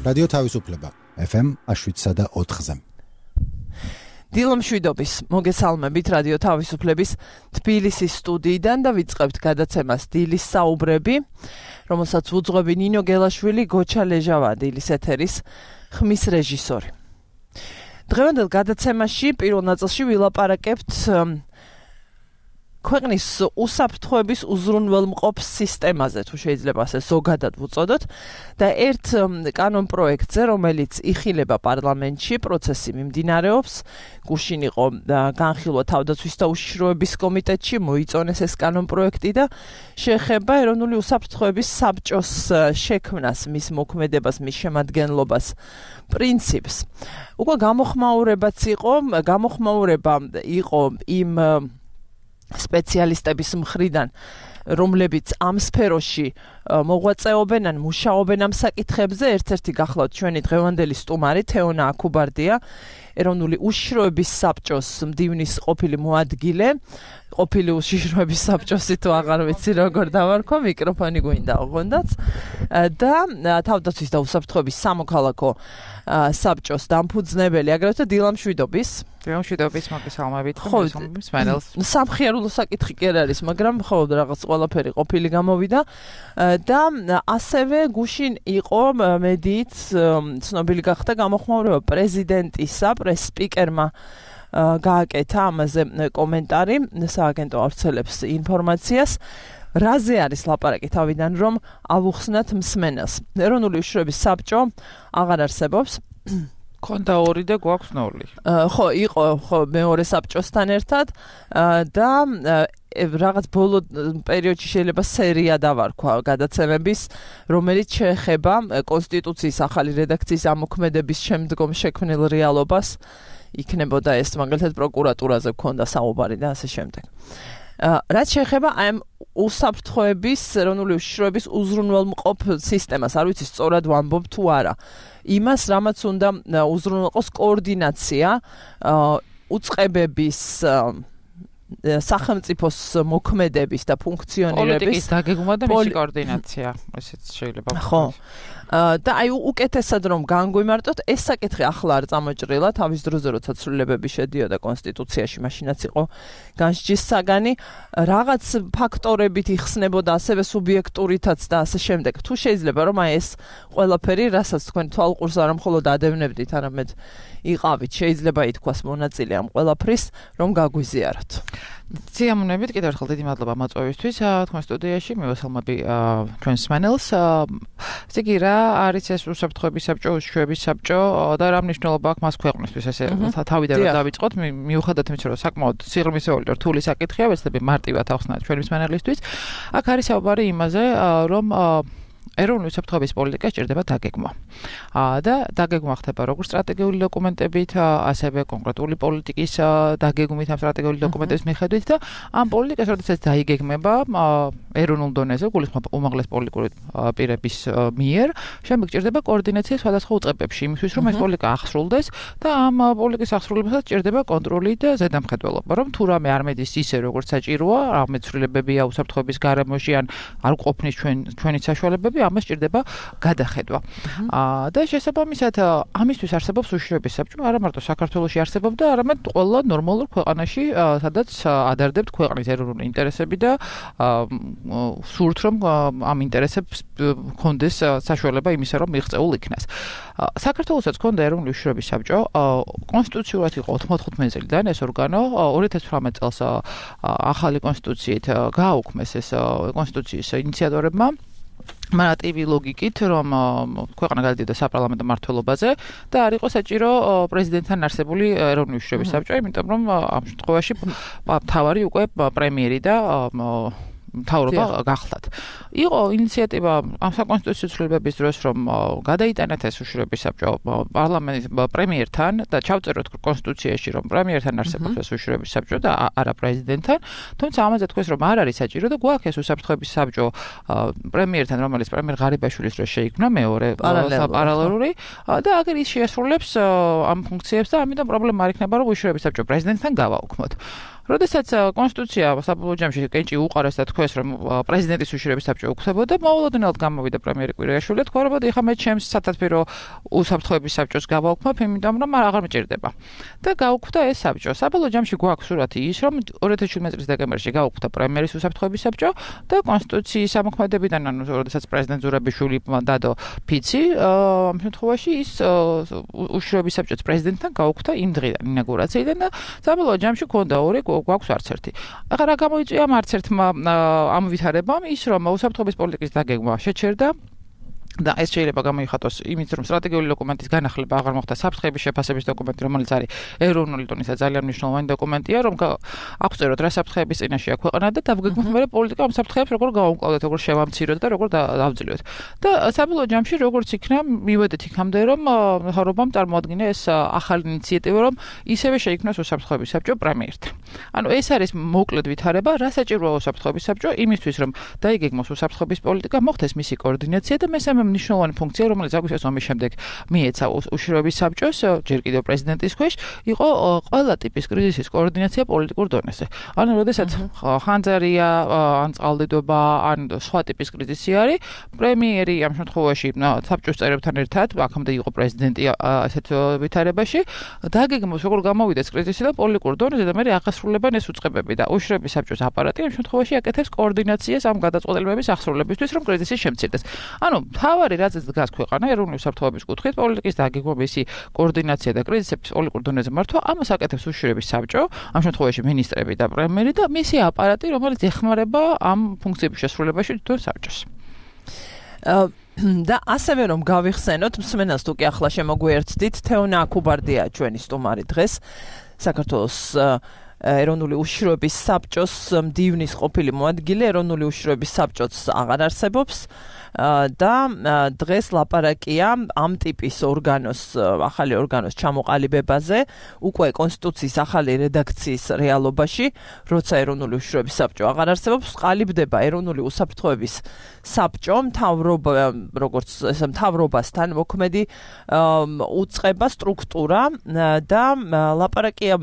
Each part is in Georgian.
რადიო თავისუფლება FM 7.4-ზე. დილომშვიდობის მოგესალმებით რადიო თავისუფლების თბილისის სტუდიიდან და ვიწყებთ გადაცემას დილის საუბრები, რომელსაც უძღვები ნინო გელაშვილი, გოჩა ლეჟავა, დილის ეთერის ხმის რეჟისორი. დღევანდელ გადაცემაში პირველ ნაწილში ვილაპარაკებთ ქვეყნის უსაფრთხოების უზრუნველმყოფ სისტემაზე, თუ შეიძლება ასე ზოგადად ვუწოდოთ, და ერთ კანონპროექტზე, რომელიც იხილება პარლამენტში, პროცესი მიმდინარეობს, გუშინ იყო განხილვა თავდაცვის და უშიშროების კომიტეტში, მოიწონეს ეს კანონპროექტი და შეეხება ეროვნული უსაფრთხოების საბჭოს შექმნას, მის მოქმედებას, მის შემადგენლობას, პრინციპს. უკვე გამოხმაურება იყო იმ სპეციალისტების მხრიდან, რომლებიც ამ სფეროში მოღვაწეობენ ან მუშაობენ ამ საკითხებზე. ერთ-ერთი გახლავთ ჩვენი დღევანდელი სტუმარი თეონა აკუბარდია, ეროვნული უშიშროების საბჭოს მდივნის ყოფილი მოადგილე, ყოფილი უშიშროების საბჭოსი თუ აღარ ვიცი როგორ დავარქვა, მიკროფონი გვინდა ოღონდაც, და თავდაცვის და უსაფრთხოების სამოქალაქო საბჭოს დამფუძნებელი, აგრეთვე დილამშვიდობის მოგესალმებით, მსმენელს. სამხიარულო საკითხი კი არ არის, მაგრამ ხო რაღაც ყველაფერი ყოფილი გამოვიდა და ასევე გუშინ იყო მედიით ცნობილი გახდა გამოხმაურება პრეზიდენტისა, პრეს-სპიკერმა გააკეთა ამაზე კომენტარი, სააგენტო ავრცელებს ინფორმაციას. რაზე არის ლაპარაკი თავიდან, რომ ავუხსნათ მსმენელს? ეროვნული უშიშროების საბჭო აღარ არსებობს. ქონდა 2 და გვაქვს 0. ხო, იყო მეორე საბჭოსთან ერთად და რაღაც ბოლო პერიოდში შეიძლება სერია დავარქვა გადაცემების, რომელიც შეეხება კონსტიტუციის ახალი რედაქციის ამოქმედების შემდგომ შექმნილ რეალობას. იქნებოდა ეს მაგალითად პროკურატურაზე გქონდა საუბარი და ასე შემდეგ. რაც შეეხება ამ უსაფრთხოების, ეროვნული უშიშროების უზრუნველმყოფ სისტემას, არ ვიცი სწორად ვამბობ თუ არა. იმას, რამაც უნდა უზრუნველყოს კოორდინაცია უწყებების, სახელმწიფოს მოქმედების და ფუნქციონირების, პოლიტიკის დაგეგმვა და მისი კოორდინაცია, ესეც შეიძლება. ხო. და აი უკეთესად რომ განგვიმარტოთ, ეს საკითხი ახლა არ წამოჭრილა, თავის დროზე როცა ცვლილებები შედიოდა კონსტიტუციაში, მაშინაც იყო განსჯის საგანი, რაღაც ფაქტორებით იხსნებოდა, ასევე სუბიექტურითაც და ასე შემდეგ. თუ შეიძლება რომ აი ეს ყველაფერი, რასაც თქვენ თვალყურს არ მხოლოდ ადევნებდით, არამედ იყავით, შეიძლება ითქვას მონაწილე ამ ყველაფრის, რომ გაგვიზიაროთ. სიამოვნებით, კიდევ ერთხელ დიდი მადლობა მოწვევისთვის. თქვენ სტუდიაში მივესალმები ჩვენს მსმენელს. ესე იგი, რა არის ეს უსაფრთხოების საბჭო, უშიშროების საბჭო და რა მნიშვნელობა აქვს მას ქვეყნისთვის? ესე თავიდან რომ დავიწყოთ, მიუხედავად იმისა, რომ საკმაოდ სიღრმისეული და რთული საკითხია, ვეცდები მარტივად ახსნათ ჩვენი მსმენელისთვის. აქ არის საუბარი იმაზე, რომ ეროვნული უსაფრთხოების პოლიტიკა სჭირდება დაგეგმვა. და დაგეგმვა ხდება როგორც სტრატეგიული დოკუმენტებით, ასევე კონკრეტული პოლიტიკის დაგეგმვით, ამ სტრატეგიული დოკუმენტების მიხედვით და ამ პოლიტიკას, როდესაც დაიგეგმება ეროვნულ დონეზე, გულისხმობ უმაღლეს პოლიტიკური პირების მიერ, შემდეგ სჭირდება კოორდინაცია სხვადასხვა უწყებებში, იმისთვის, რომ ეს პოლიტიკა ახსრულდეს და ამ პოლიტიკის ახსრულებასაც სჭირდება კონტროლი და ზედამხედველობა, რომ თუ რამე არ მედის ისე, როგორც საჭიროა, რამე ცვლილებებია უსაფრთხოების გარემოში ან არ ყოფნის ჩვენი საშუალებები, ამას სჭირდება გადახედვა. და შესაბამისად, ამისთვის არსებობს უშიშროების საბჭო, არა მარტო საქართველოში არსებობდა, არამედ ყველა ნორმალურ ქვეყანაში, სადაც ადარდებთ ქვეყნის ეროვნული ინტერესები და სურთ, რომ ამ ინტერესებს ჰქონდეს საშუალება იმისა, რომ მიღწეულ იქნას. საქართველოსაც ჰქონდა ეროვნული უშიშროების საბჭო, კონსტიტუციურად იყო 95 წლიდან ეს ორგანო, 2018 წელს ახალი კონსტიტუციით გააუქმეს ეს კონსტიტუციის ინიციატორებმა. მარტივი ლოგიკით, რომ ქვეყანა გადადიოდა საპარლამენტო მმართველობაზე და არ იყო საჭირო პრეზიდენტთან არსებული ეროვნული უშიშროების საბჭო, იმიტომ რომ ამ შემთხვევაში მთავარი უკვე პრემიერი და მთავრობა გახლდათ. იყო ინიციატივა ამ საკონსტიტუციო ცვლილებების დროს, რომ გადაიტანათ ეს უშიშროების საბჭო პარლამენტის პრემიერთან და ჩავწეროთ კონსტიტუციაში, რომ პრემიერთან არსებობს ეს უშიშროების საბჭო და არა პრეზიდენტთან. თუმცა ამაზე თქვეს, რომ არ არის საჭირო და გვაქვს ეს უსაფრთხოების საბჭო პრემიერთან, რომელიც პრემიერ ღარიბაშვილის დროს შეიქმნა მეორე პარალელური და აგერ ის შეასრულებს ამ ფუნქციებს და ამიტომ პრობლემა არ იქნება, რომ უშიშროების საბჭო პრეზიდენტთან გავაუქმოთ. როდესაც კონსტიტუცია საბოლოო ჯამში კენჭი უყარეს და თქვეს, რომ პრეზიდენტის უშიშროების საბჭო უქმდებოდა, მოულოდნელად გამოვიდა პრემიერი კვირიაშვილი, თქვა, რომ ეხლა მე ჩემს სათათბირო უსაფრთხოების საბჭოს გავაუქმებ, იმიტომ რომ აღარ მეჭირდება. და გაუქმდა ეს საბჭო. საბოლოო ჯამში გვაქვს სურათი ის, რომ 2017 წლის დეკემბერში გაუქმდა პრემიერის უსაფრთხოების საბჭო და კონსტიტუციის ამოქმედებიდან, ანუ როდესაც პრეზიდენტ ზურაბიშვილი დადო ფიცი, ამ შემთხვევაში ის უშიშროების საბჭოს პრეზიდენტთან გაუქმდა იმ დღიდან, ინაგურაციიდან და საბოლოო ჯამში ქონდა ორი, გვაქვს არც ერთი. ახლა რა გამოიწვია ამ არც ერთმა ამ ვითარებამ ის, რომ უსაფრთხოების პოლიტიკის დაგეგმვა შეჩერდა და ეს შეიძლება გამოიხატოს იმით, რომ სტრატეგიული დოკუმენტის განახლება აღარ მოხდა საფრთხეების შეფასების დოკუმენტი, რომელიც არის ეროვნული დონის ძალიან მნიშვნელოვანი დოკუმენტია, რომ აქვს წეროთ რა საფრთხეების წინაშე აქვს ქვეყანა და დავგეგმოთ მე პოლიტიკა ამ საფრთხეებს როგორ გავუმკლავდეთ, როგორ შევამციროთ და როგორ დავძლიოთ. და საბოლოო ჯამში როგორც იქნა, მივედით იქამდე, რომ მთავრობამ წარმოადგინა ეს ახალი ინიციატივა, რომ ისევე შეიქმნას უსაფრთხოების საბჭო პრემიერთან. ანუ ეს არის მოკლედ ვითარება, რა საჭიროა უსაფრთხოების საბჭო იმისთვის, რომ დაიგეგმოს უსაფრთხოების პოლიტიკა, მოხდეს მისი კოორდინაცია და მესამე მნიშვნელოვანი ფუნქცია, რომელიც აგვიქვეს ომის შემდეგ მიეცა უშიშროების საბჭოს, ჯერ კიდევ პრეზიდენტის ქვეშ, იყო ყველა ტიპის კრიზისის კოორდინაცია პოლიტიკურ დონეზე. ანუ, როდესაც ხანძარია, ან წყალდიდობა, ან სხვა ტიპის კრიზისი არის, პრემიერი ამ შემთხვევაში საბჭოს წევრებთან ერთად, აქამდე იყო პრეზიდენტი ასეთ ვითარებაში, დაგეგმოს როგორ გამოვიდეს კრიზისი და პოლიტიკურ დონეზე და მე აღასრულებენ ეს უწყებები და უშიშროების საბჭოს აპარატი ამ შემთხვევაში აკეთებს კოორდინაციას ამ გადაწყვეტილებების ახსრულებისთვის, რომ კრიზისი შემცირდეს. ანუ თავარი რაზეც დგას ქვეყანა ეროვნული უსაფრთხოების კუთხით პოლიტიკის დაგეგმვა, მისი კოორდინაცია და კრიზისების პოლიტიკურ დონეზე მართვა, ამას აკეთებს უშიშროების საბჭო, ამ შემთხვევაში მინისტრები და პრემიერი და მისი აპარატი, რომელიც ეხმარება ამ ფუნქციების შესრულებაში თვითონ საბჭოს. და ასევე რომ გავიხსენოთ, მსმენელს თუ კი ახლა შემოგვიერთდით, თეონა აქუბარდია ჩვენი სტუმარი დღეს, საქართველოს ეროვნული უშიშროების საბჭოს მდივნის ყოფილი მოადგილე, ეროვნული უშიშროების საბჭოც აღარ არსებობს. და დღეს ლაპარაკია ამ ტიპის ახალი ორგანოს ჩამოყალიბებაზე, უკვე კონსტიტუციის ახალი რედაქციის რეალობაში, როცა ეროვნული უშიშროების საბჭო აღარ არსებობს, ყალიბდება ეროვნული უსაფრთხოების საბჭო, როგორც მთავრობასთან მოქმედი უწყება სტრუქტურა და ლაპარაკია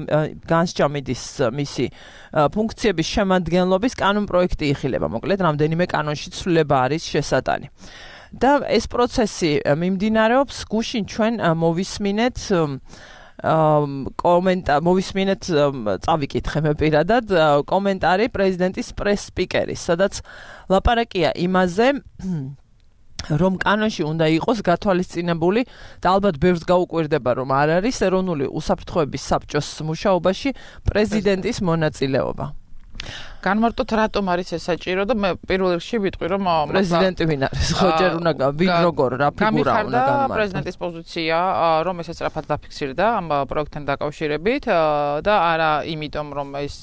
განსჯამიდის მისი ფუნქციების შემადგენლობის კანონპროექტი იხილება. მოკლედ, რამდენიმე კანონში ცვლილება არის შესატანი. და ეს პროცესი მიმდინარეობს, გუშინ ჩვენ მოვისმინეთ მოვისმინეთ წავიკითხე მე პირადად კომენტარი პრეზიდენტის პრეს-სპიკერის, სადაც ლაპარაკია იმაზე, რომ კანონში უნდა იყოს გათვალისწინებული და ალბათ ბევრს გაუკვირდება, რომ არ არის ეროვნული უსაფრთხოების საბჭოს მუშაობაში პრეზიდენტის მონაწილეობა. განმარტოთ რატომ არის ეს საჭირო და მე პირველ რიგში ვიტყვი რომ პრეზიდენტი ვინ არის ხო ჯერ უნდა როგორ რა ფიგურა უნდა გამართოს პრეზიდენტის პოზიცია რომ ეს სწრაფად დაფიქსირდა ამ პროექტთან დაკავშირებით და არა იმიტომ რომ ეს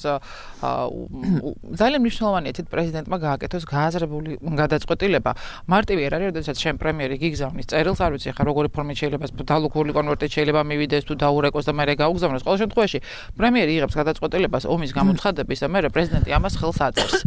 ძალიან მნიშვნელოვანია თვით პრეზიდენტმა გააკეთოს გააზრებული გადაწყვეტილება მარტივი არ არის როდესაც შენ პრემიერი გიგზავნის წერილს არ ვიცი ხა როგორი ფორმით შეიძლება დალუქული კონვერტით შეიძლება მივიდეს თუ დაურეკოს და მე გაუგზავნოს ყოველ შემთხვევაში პრემიერი იღებს გადაწყვეტილებას ომის გამოცხადების და მე პრეზიდენტი ამას ხელს აწერს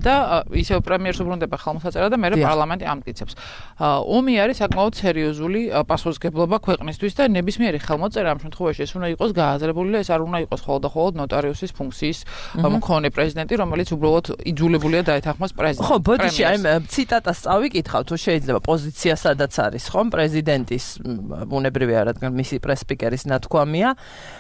და ისევ პრემიერს უბრუნდება ხელმოსაწერა და მე პარლამენტი ამტკიცებს ომი არის საკმაოდ სერიოზული პასუხისმგებლობა ქვეყნისთვის და ნებისმიერი ხელმოწერა ამ შემთხვევაში ეს უნდა იყოს გააზრებული და ეს არ უნდა იყოს მხოლოდ ნოტარიუსის ფუნქციის მქონე პრეზიდენტი რომელიც უბრალოდ იძულებულია დაეთანხმოს პრეზიდენტს ხო ბოდიში აი ციტატას წავიკითხავ თუ შეიძლება პოზიცია სადაც არის ხომ პრეზიდენტის ბუნებრივია რადგან მისი პრეს-სპიკერის ნათქვამია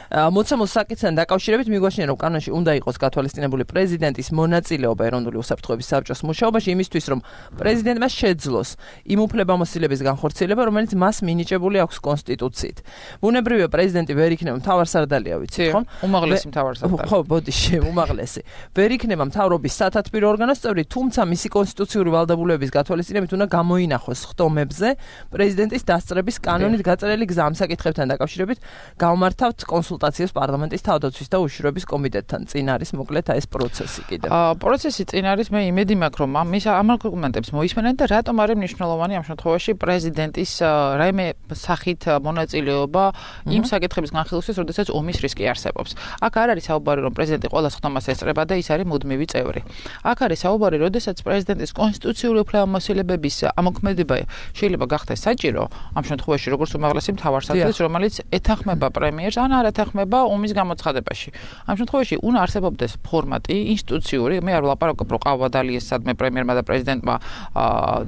მოცემულ საკითხთან დაკავშირებით მიგვაჩნია რომ კანონში უნდა იყოს გათვალისწინებული პრეზიდენტის მონაწილეობა ეროვნული უსაფრთხოების საბჭოს მუშაობაში იმისთვის რომ პრეზიდენტმა შეძლოს იმ უფლებამოსილების განხორციელება რომელიც მას მინიჭებული აქვს კონსტიტუციით. ბუნებრივია პრეზიდენტი ვერ იქნება მთავარსარდალია ვიცით ხომ? უმაღლესი მთავარსარდალი. ხო ბოდიში უმაღლესი. ვერ იქნება მთავრობის სათათბირო ორგანოს წევრი, თუმცა მისი კონსტიტუციური ვალდებულებების გათვალისწინებით უნდა გამოინახოს ხტომებზე პრეზიდენტის დასწრების კანონით გაწერილი გზა ამ საკითხებთან დაკავშირებით გამართავთ კონსულტაციებს პარლამენტის თავდაცვის და უშიშროების კომიტეტთან. წინ არის მოკლედ ეს პროცესი. პროცესი კიდევ? პროცესი წინ არის, მე იმედი მაქვს, რომ ამ არგუმენტებს მოისმენენ და რატომ არის მნიშვნელოვანი ამ შემთხვევაში პრეზიდენტის რაიმე სახით მონაწილეობა იმ საკითხების განხილვისთვის, როდესაც ომის რისკი არსებობს. აქ არ არის საუბარი, რომ პრეზიდენტი ყველა ხდომას ესწრება და ის არის მუდმივი წევრი. აქ არის საუბარი, როდესაც პრეზიდენტის კონსტიტუციური უფლებამოსილებების ამოქმედება შეიძლება გახდეს საჭირო, ამ შემთხვევაში როგორც უმაღლესი მთავარსარდლის, რომელიც ეთანხმება პრემიერს ან არ ეთანხმება ომის გამოცხადებაში. ამ შემთხვევაში უნდა არსებობდეს ფორმატი ინსტიტუციური, მე არ ვლაპარაკობ, რომ ყავა დალიეს სადმე პრემიერმა და პრეზიდენტმა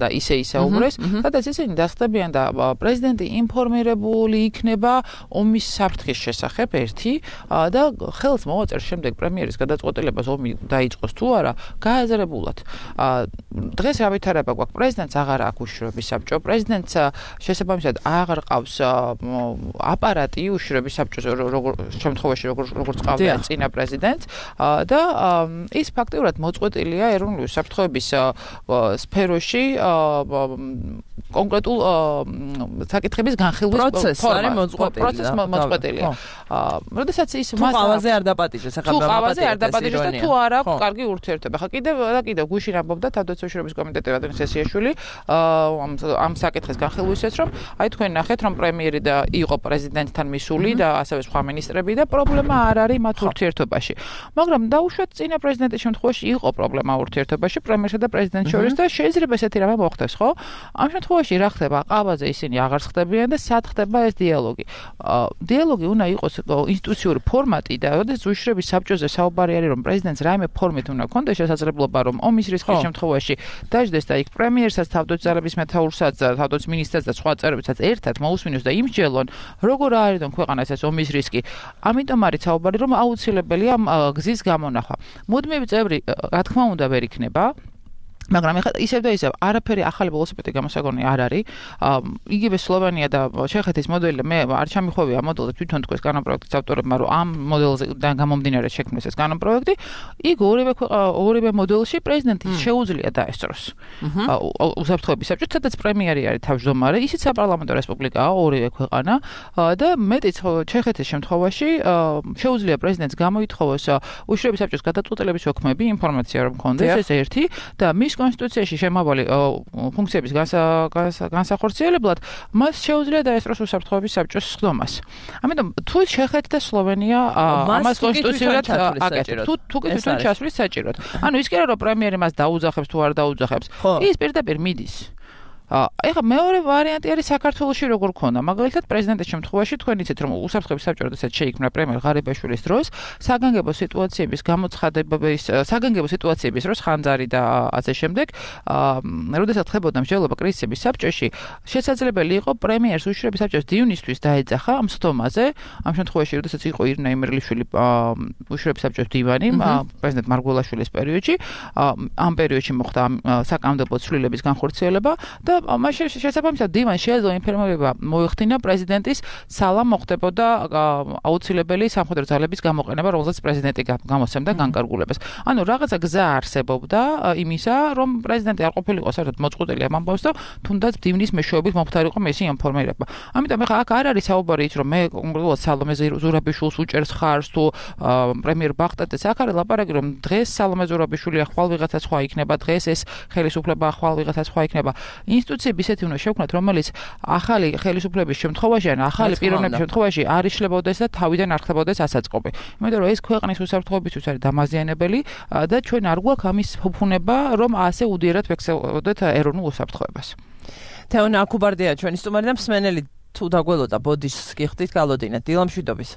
და ისე უბრეს, სადაც ისინი დასწრებიან და პრეზიდენტი ინფორმირებული იქნება ომის საფრთხის შესახებ ერთი და ხელს მოვაწერს შემდეგ პრემიერის გადაწყვეტილებას ომი დაიწყოს თუ არა გააზრებულად. დღეს რა ვითარება გვაქვს, პრეზიდენტს აღარ აქვს უშიშროების საბჭო, პრეზიდენტს შესაბამისად აღარ ყავს აპარატი უშიშროების საბჭოს შემთხვევაში როგორც ყავდა წინა პრეზიდენტს და ის ფაქტიურად მოწყვეტილია ეროვნული უსაფრთხოების სფეროში კონკრეტულ საკითხების განხილვის პროცესი მოწყვეტილია. როდესაც ის მას ყავაზე არ დაპატიჟეს, ახლა ყავაზე არ დაპატიჟეს და თუ არ აქვს კარგი ურთიერთობა. ხა კიდევ გუშინ ამბობდა თავდაცვის უშიშროების კომიტეტი ვადიმ სესიაშვილი ამ საკითხის განხილვისას, რომ აი თქვენ ნახეთ, რომ პრემიერი და იყო პრეზიდენტთან მისული და ასევე სხვა მინისტრები და პრობლემა არ არის მათ ურთიერთობაში. მაგრამ დაუშვათ წინა პრეზიდენტის შემთხვევაში იყო პრობლემა ურთიერთობაში პრემიერსა და პრეზიდენტს შორის და შეიძლება ესეთი რამე მოხდეს, ხო? ამ შემთხვევაში რა ხდება? ყავაზე ისინი აღარ ხდებიან და სად ხდება ეს დიალოგი? დიალოგი უნდა იყოს ინსტიტუციური ფორმატი და როდესაც უშიშროების საბჭოზე საუბარი არის, რომ პრეზიდენტს რაიმე ფორმით უნდა ქონდეს შესაძლებლობა, რომ ომის რისკის შემთხვევაში დაждდეს და იქ პრემიერსაც, თავდაცვის ძალების მეთაურსაც, თავდაცვის მინისტრსაც და სხვა წევრებსაც ერთად მოусმინოს და იმსჯელონ, როგორ არის ქვეყანას ეს ომის რისკი. ამიტომ არის საუბარი, რომ აუცილებელია გზის გამონახვა. მუდმივი წევრი, რა თქმა უნდა, ვერ იქნება. მაგრამ ეხლა ისევ და ისევ არაფერი ახალი ველოსიპედი გამოსაგონი არ არის. იგივე სლოვენია და ჩეხეთის მოდელი მე არ ჩამიხვევია მოდელზე თვითონ თქვენს კანონპროექტის ავტორებმა, რომ ამ მოდელზედან გამომდინარე შექმნეს ეს კანონპროექტი. იქ ორივე მოდელში პრეზიდენტის შეუძლია დაესწროს. უსაფრთხოების საბჭო, სადაც პრემიერი არის თავმჯდომარე, ისიც საპარლამენტო რესპუბლიკაა ორივე ქვეყანა და მეტიც ჩეხეთის შემთხვევაში შეუძლია პრეზიდენტს გამოითხოვოს უშიშროების საბჭოს გადაწყვეტილების ოქმები, ინფორმაცია რომ კონდეს ეს ერთი და მის კონსტიტუციაში შემავალი ფუნქციების განსახორციელებლად მას შეუძლია დაესწროს უსაფრთხოების საბჭოს სხდომას. ამიტომ თუ ჩეხეთი და სლოვენია ამას კონსტიტუციურად აკეთებს, თუ თვითონ ჩასვლის საჭიროდ. ანუ ის კი არა, რომ პრემიერი მას დაუძახებს თუ არ დაუძახებს, ის პირდაპირ მიდის. ეხლა მეორე ვარიანტი არის საქართველოში როგორ ქონდა. მაგალითად, პრეზიდენტის შემთხვევაში თქვენ იცით, რომ უსაფრთხოების საბჭო როდესაც შეიქმნა პრემიერ ღარიბაშვილის დროს, საგანგებო სიტუაციების გამოცხადების, საგანგებო სიტუაციების დროს ხანძარი და ასე შემდეგ, როდესაც ხდებოდა მსჯელობა კრიზისების საბჭოში, შესაძლებელი იყო პრემიერს უშიშროების საბჭოს დივნისთვის დაეძახა ამ სხდომაზე. ამ შემთხვევაში, როდესაც იყო ირინა იმერლიშვილი უშიშროების საბჭოს დივანი, პრეზიდენტ მარგველაშვილის პერიოდში, ამ პერიოდში მოხდა საკანონმდებლო ცვლილების განხორციელება და მაშინ შესაბამისად დივანს შეეძლო ინფორმირება მოიხდინა პრეზიდენტის სალამ მოხდებოდა აუცილებელი სამხედრო ძალების გამოყენება, რომელსაც პრეზიდენტი გამოსცემდა განკარგულებას. ანუ რაღაცა გზა არსებობდა იმისა, რომ პრეზიდენტი არ ყოფილიყო საერთოდ მოწყვეტილი ამ ამბავს და თუნდაც დივნის მეშვეობით მომხდარიყო მისი ინფორმირება. ამიტომ ახლა აქ არ არის საუბარი ის, რომ მე კონკრეტულად სალომე ზურაბიშვილს უჭერს ხარს თუ პრემიერ ბახტაძეს. აქ არის ლაპარაკი, რომ დღეს სალომე ზურაბიშვილი ახვალ ვიღაცა სხვა იქნება, დღეს ეს ხელისუფლება ახვალ ვიღაცა სხვა იქნება. ინსტიტუციები ისეთი უნდა შევქმნათ, რომელიც ახალი ხელისუფლების შემთხვევაში ან ახალი პიროვნების შემთხვევაში არ იშლებოდეს და თავიდან არ ხდებოდეს ასაწყობი. იმიტომ რომ ეს ქვეყნის უსაფრთხოებისთვის არის დამაზიანებელი და ჩვენ არ გვაქვს ამის ფუფუნება, რომ ასე უდიერად ვექსელოდეთ ეროვნულ უსაფრთხოებას. თეონა აკუბარდია ჩვენი სტუმარი და მსმენელი თუ დაგველოდა ბოდის გიხდით გალოდინეთ დილამშვიდობის.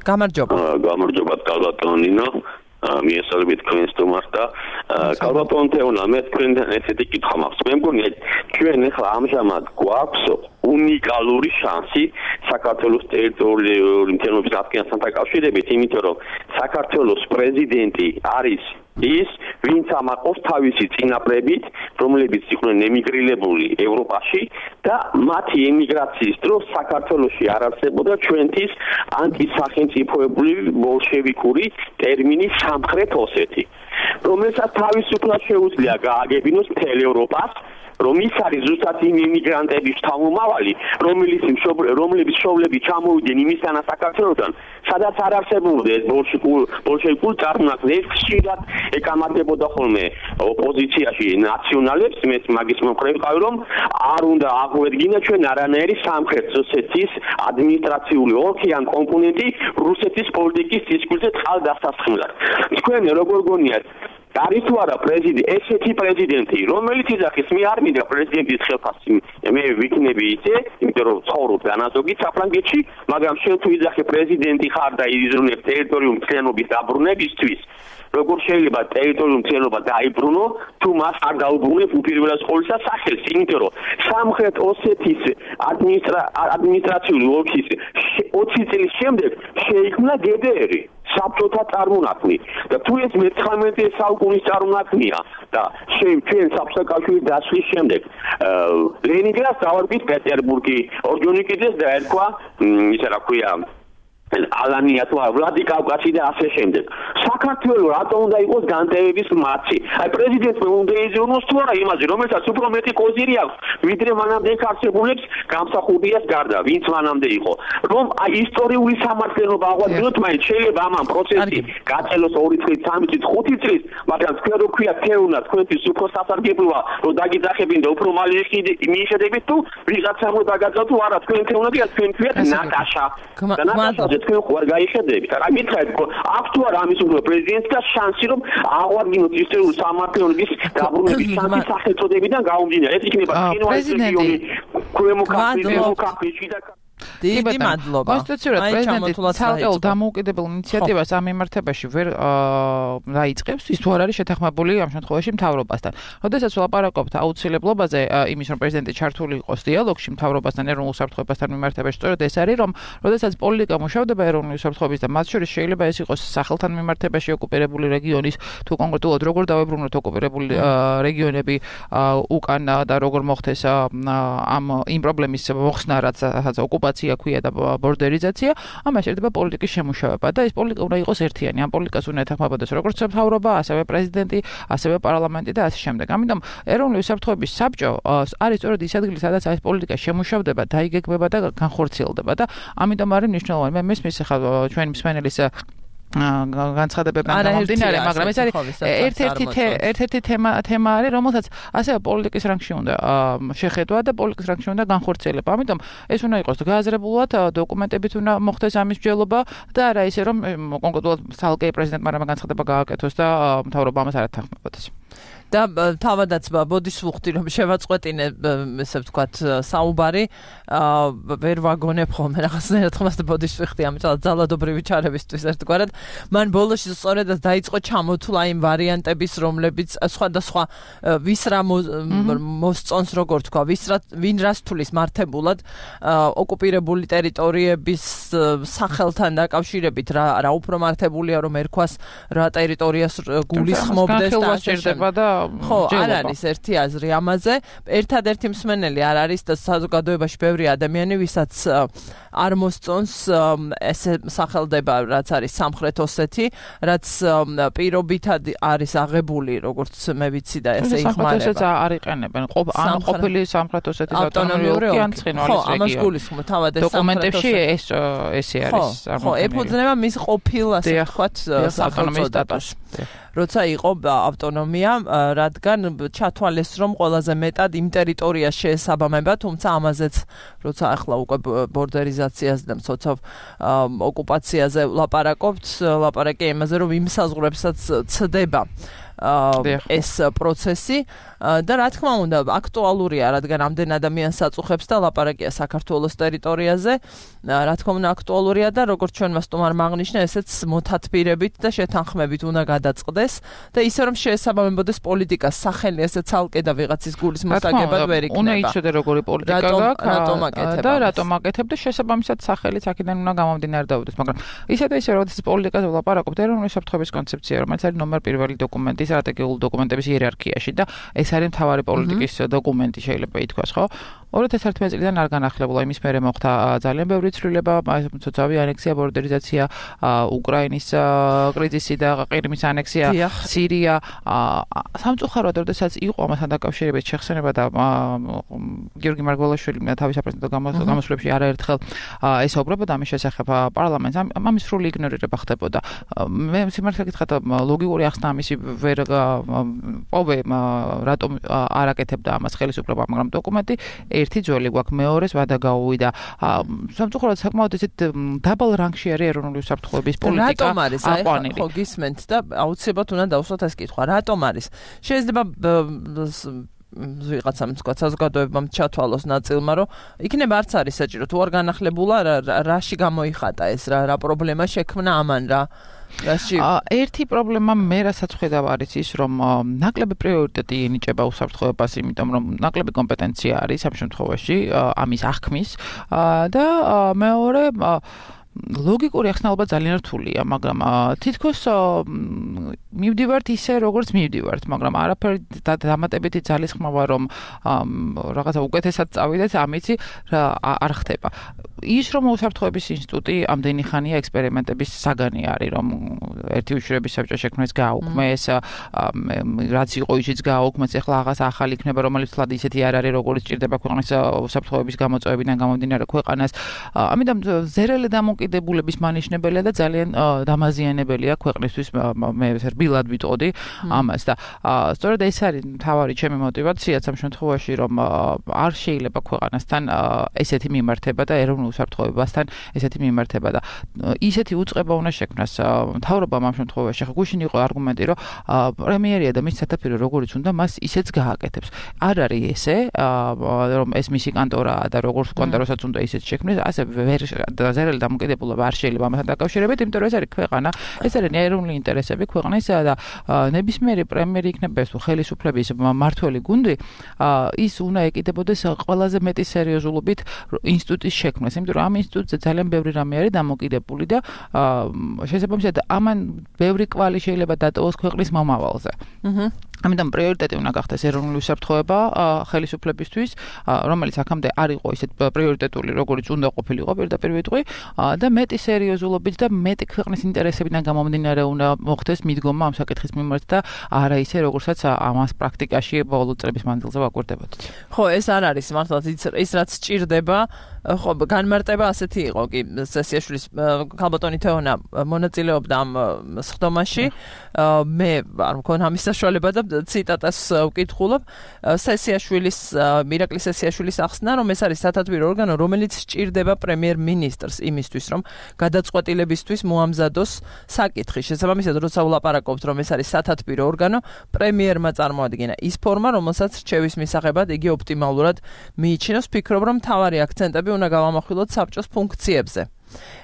გამარჯობა. გამარჯობა კალბატონინო. მიესალმებით თქვენს სტუმარს და კალბატონ თეონა, მე თქვენთან ესეთი კითხვა მაქვს. მე მგონია ჩვენ ახლა ამჟამად გვაქვს უნიკალური შანსი საქართველოს ტერიტორიული მთლიანობის აღდგენასთან დაკავშირებით, იმიტომ რომ საქართველოს პრეზიდენტი არის ის, ვინც ამაყობს თავისი წინაპრებით, რომლებიც იყვნენ ემიგრირებული ევროპაში და მათი ემიგრაციის დროს საქართველოში არ არსებობდა ჩვენთვის ანტისახელმწიფოებული ბოლშევიკური ტერმინი სამხრეთ ოსეთი, რომელსაც თავისუფლად შეუძლია გააგებინოს მთელ ევროპას რომ ის არის ზუსტად იმ იმიგრანტების შთამომავალი, რომლებიც შოვლები ჩამოვიდნენ იმისთანა საქართველოსთან, სადაც არ არსებობდა ეს ბოლშევიკური წარმონაქმნი, ეს ხშირად ეკამათებოდა ხოლმე ოპოზიციაში ნაციონალებს, მეც მაგის მომხრე ვიყავი, რომ არ უნდა აღვედგინა ჩვენ არანაირი სამხრეთ ოსეთის ადმინისტრაციული ოლქი ან კომპონენტი რუსეთის პოლიტიკის დისკურსზე წყალდასასხმელად. თქვენ როგორ გონიათ არის თუ არა ესეთი პრეზიდენტი, რომელიც იძახის მე არ მინდა პრეზიდენტის ხელფასი, მე ვიქნები ისე, იმიტომ რომ ცხოვრობ დანაზოგი საფრანგეთში, მაგრამ შენ თუ იძახი პრეზიდენტი ხარ და იზრუნებ ტერიტორიულ მთლიანობის დაბრუნებისთვის, როგორ შეიძლება ტერიტორიულ მთლიანობა დაიბრუნო, თუ მას არ დაუბრუნებ უპირველეს ყოვლისა სახელს, იმიტომ რომ სამხრეთ ოსეთის ადმინისტრაციული ოლქის 20 წლის შემდეგ შეიქმნა გდრ საბჭოთა წარმონაქმნი და თუ ეს მე-19 საუკუნის წარმონაქმნია და ჩვენ საბჭოთა დასვლის შემდეგ ლენინგრადს დავარბით პეტერბურგი, ორჯონიკიძეს დაერქვა ისა რა ქვია ალანია თუ ვლადიკავკაზი და ასე შემდეგ. საქართველოს რატომ უნდა იყოს განტევების მაცი? აი პრეზიდენტმა უნდა იზრუნოს თუ არა იმაზე, რომელსაც უფრო მეტი კოზირი აქვს, ვიდრე მანამდე არსებულებს გამსახურდიას გარდა, ვინც მანამდე იყო. რომ აი ისტორიული სამართლიანობა აღვადგინოთ, მაინც შეიძლება ამ პროცესი გაწელოს 2 წლის, 3 წლის, 5 წლის, მაგრამ თქვენ რო ქვია თეუნა, თქვენთვის უფრო სასარგებლოა, რომ დაგიძახებინ და უფრო მალე მიიხედებით თუ ვიღაცა მოდაგაძა თუ არა, თქვენ თეუნები არ თქვენ ქვიათ ნატაშა. და ნატაშა თქვენ ხوار გაიხედებით. რა მითხრათ, აქვს თუ არა ამის უფრო პრეზიდენტს და შანსი რომ აღვადგინოთ ისტორიული სამართლიანობის დაბრუნების შანსი სახელწოდებიდან გაუმდინარე. ეს იქნება კინოის რეგიონი, ქვემო ქართლში და დიდი მადლობა. კონსტიტუციურად პრეზიდენტი ცალკეულ დამოუკიდებელ ინიციატივას ამ მიმართებაში ვერ დაიწყებს, ის თუ არ არის შეთანხმებული ამ შემთხვევაში მთავრობასთან. როდესაც ვლაპარაკობთ აუცილებლობაზე იმის, რომ პრეზიდენტი ჩართული იყოს დიალოგში მთავრობასთან, ეროვნულ უსაფრთხოებასთან მიმართებაში, სწორედ ეს არის, რომ როდესაც პოლიტიკა მუშავდება ეროვნული უსაფრთხოების და მათ შორის შეიძლება ეს იყოს სახელთან მიმართებაში ოკუპირებული რეგიონის, თუ კონკრეტულად როგორ დავებრუნოთ ოკუპირებული რეგიონები უკან და როგორ მოხდეს იმ პრობლემის მოხსნა, რაც ოკუპაცია ქვია და ბორდერიზაცია, ამას შეიძლება პოლიტიკის შემუშავება და ეს პოლიტიკა უნდა იყოს ერთიანი. ამ პოლიტიკას უნდა ეთანხმებოდეს როგორც მთავრობა, ასევე პრეზიდენტი, ასევე პარლამენტი და ასე შემდეგ. ამიტომ ეროვნული უსაფრთხოების საბჭო არის სწორედ ის ადგილი, სადაც ეს პოლიტიკა შემუშავდება, დაიგეგმება და განხორციელდება და ამიტომ არის მნიშვნელოვანი. მე მესმის ახლა ჩვენი მსმენელის განცხადებებიდან გამომდინარე, მაგრამ ეს არის ერთ-ერთი თემა არის, რომელსაც ასევე პოლიტიკის რანგში უნდა შეხედვა და პოლიტიკის რანგში უნდა განხორციელება. ამიტომ ეს უნდა იყოს გააზრებულად, დოკუმენტებით უნდა მოხდეს ამის მსჯელობა და არა ისე რომ კონკრეტულად თალკე პრეზიდენტმა რამე განცხადება გააკეთოს და მთავრობა ამას არ ეთანხმებოდეს. და თავადაც ბოდიშ ვუხდი რომ შევაწყვეტინე ესე ვთქვათ საუბარი ვერ ვაგონებ ხოლმე რაღაცნაირად ხმას და ბოდიშ ვიხდი ამიტომ ძალადობრივი ჩარებისთვის ერთგვარად მან ბოლოში სწორედაც დაიწყო ჩამოთვლა იმ ვარიანტების რომლებიც სხვადასხვა ვის რა მოსწონს როგორ თქვა ვინ რას თulis მართებულად ოკუპირებული ტერიტორიების სახელთან დაკავშირებით რა უფრო მართებულია რომ ერქვას რა ტერიტორიას გულისხმობდეს და შეერდება და ხო, არ არის ერთი აზრი ამაზე. ერთადერთი მსმენელი არ არის და საზოგადოებაში ბევრი ადამიანი, ვისაც არ მოსწონს ესე სახელდება, რაც არის სამხრეთ ოსეთი, რაც პირობითად არის აღებული, როგორც მე ვიცი და ესე იხმარება. სამხრეთ ოსეთს არ იყენებენ. ან ყოფილი სამხრეთ ოსეთის ავტონომიური ოლქი ან ცხინვალის რეგიონი. ხო, ამას გულისხმობ, თავად ეს დოკუმენტებში ესე არის. ხო, ეფუძნება მის ყოფილ ასე ვთქვათ სახელწოდებას. როცა იყო ავტონომია, რადგან ჩათვალეს, რომ ყველაზე მეტად იმ ტერიტორიას შეესაბამება, თუმცა ამაზეც როცა ახლა უკვე ბორდერიზაციაზე და მცოცავ ოკუპაციაზე ლაპარაკი იმაზე, რომ იმ საზღვრებსაც ცდება ეს პროცესი და რა თქმა უნდა აქტუალურია, რადგან ამდენ ადამიანს აწუხებს და ლაპარაკია საქართველოს ტერიტორიაზე, რა თქმა უნდა აქტუალურია და როგორც ჩვენმა სტუმარმა აღნიშნა, ესეც მოთათბირებით და შეთანხმებით უნდა გადაწყდეს და ისე რომ შეესაბამებოდეს პოლიტიკას სახელი ესე ცალკე და ვიღაცის გულის მოსაგებად ვერ იქნება. უნდა იცოდე როგორი პოლიტიკა გაქვს და რატომ აკეთებ და შესაბამისად სახელიც აქედან უნდა გამომდინარე დავუდეს, მაგრამ ისე და ისე როდესაც პოლიტიკაზე ვლაპარაკობთ, ეროვნული უსაფრთხოების კონცეფცია, რომელიც არის ნომერ პირველი დოკუმენტი სტრატეგიული დოკუმენტების იერარქიაში და ეს არის მთავარი პოლიტიკის დოკუმენტი შეიძლება ითქვას, ხო? 2011 წლიდან არ განახლებულა იმის მერე მოხდა ძალიან ბევრი ცვლილება, მოცავი ანექსია, ბორდერიზაცია, უკრაინის კრიზისი და ყირიმის ანექსია, სირია. სამწუხაროდ, როდესაც იყო ამასთან დაკავშირებით შეხსენება და გიორგი მარგველაშვილი თავის საპრეზიდენტო გამოსვლებში არაერთხელ ესაუბრებოდა ამის შესახებ პარლამენტს, ამის სრული იგნორირება ხდებოდა. მე სიმართლე გითხრათ, ლოგიკური ახსნა ამისი ვერ პოვე, რატომ არ აკეთებდა ამას ხელისუფლება, მაგრამ დოკუმენტი ერთი ძველი გვაქვს, მეორეს ვადა გაუვიდა. სამწუხაროდ საკმაოდ ისეთ დაბალ რანგში არის ეროვნული უსაფრთხოების პოლიტიკა. რატომ არის? ხო გისმენთ და აუცილებლად უნდა დავუსვათ ეს კითხვა. რატომ არის? შეიძლება ვიღაცამ თქვა საზოგადოებამ ჩათვალოს ნაწილმა, რომ იქნება არც არის საჭირო, თუ არ განახლებულა რაში გამოიხატა ეს რა პრობლემა შექმნა ამან რა. ერთი პრობლემა მე რასაც ხედავ არის ის, რომ ნაკლები პრიორიტეტი ენიჭება უსაფრთხოებას, იმიტომ რომ ნაკლები კომპეტენცია არის ამ შემთხვევაში ამის აღქმის და მეორე ლოგიკური ახსნაობა ძალიან რთულია, მაგრამ თითქოს მივდივართ ისე, როგორც მივდივართ, მაგრამ არაფერი დამატებითი ძალისხმევა, რომ რაღაცა უკეთესად წავიდეთ, ამიცი არ ხდება. ის რომ უსაფრთხოების ინსტიტუტი ამდენი ხანია ექსპერიმენტების საგანი არის, რომ ერთი უშიშროების საბჭო შექმნეს გააუქმეს, რაც იყო ისიც გააუქმეს, ახლა რაღაც ახალი იქნება, რომელიც თლად ისეთი არ არის, როგორც ჭირდება ქვეყნის უსაფრთხოების გამოწვევებიდან გამომდინარე ქვეყანას. ამიტომ ზერელი დამოკიდებულების მანიშნებელია და ძალიან დამაზიანებელია ქვეყნისთვის, მე რბილად ვიტყოდი ამას და სწორედ ეს არის მთავარი ჩემი мотиваციაც ამ შემთხვევაში, რომ არ შეიძლება ქვეყანასთან ესეთი მიმართება და ეროვნულ უსაფრთხოებასთან ესეთი მიმართება და ისეთი უწყება უნდა შექმნას მთავრობამ ამ შემთხვევაში. ხა გუშინ იყო არგუმენტი, რომ პრემიერია და მის სათაფლიო როგორც უნდა მას ისეც გააკეთებს. არ არის ესე, რომ ეს მისი კანტორაა და როგორც კანტორასაც უნდა ისეც შექმნეს, ასე ვერ ზერელი დამოკიდებულება არ შეიძლება ამასთან დაკავშირებით, იმიტომ რომ ეს არის ქვეყანა, ეს არის ეროვნული ინტერესები ქვეყნის და ნებისმიერი პრემიერი იქნება ეს ხელისუფლების მმართველი გუნდი, ის უნდა ეკიდებოდეს ყველაზე მეტი სერიოზულობით ინსტიტუტის შექმნას, იმიტომ რომ ამ ინსტიტუტზე ძალიან ბევრი რამე არის დამოკიდებული და შესაბამისად ამან ბევრი კვალი შეიძლება დატოვოს ქვეყნის მომავალზე. ამიტომ პრიორიტეტი უნდა გახდეს ეროვნული უსაფრთხოება ხელისუფლებისთვის, რომელიც აქამდე არ იყო ისეთ პრიორიტეტული, როგორც უნდა ყოფილიყო პირდაპირ ვიტყვი, და მეტი სერიოზულობით და მეტი ქვეყნის ინტერესებიდან გამომდინარე უნდა მოხდეს მიდგომა ამ საკითხის მიმართ და არა ისე, როგორცაც ამას პრაქტიკაში ბოლო წლების მანძილზე ვაკვირდებოდით. ხო, ეს არ არის მართლაც ის რაც სჭირდება. ხო, განმარტება ასეთი იყო კი სესიაშვილის ქალბატონი თეონა მონაწილეობდა ამ სხდომაში. მე არ მქონია ამის საშუალება და ციტატას ვკითხულობ. მირაკლი სესიაშვილის ახსნა, რომ ეს არის სათათბირო ორგანო, რომელიც სჭირდება პრემიერ-მინისტრს იმისთვის, რომ გადაწყვეტილებისთვის მოამზადოს საკითხი. შესაბამისად, როცა ვლაპარაკობთ, რომ ეს არის სათათბირო ორგანო, პრემიერმა წარმოადგინა ის ფორმა, რომელსაც რჩევის მისაღებად იგი ოპტიმალურად მიიჩნევს. ვფიქრობ, რომ მთავარი აქცენტები უნდა გავამახვილოთ საბჭოს ფუნქციებზე.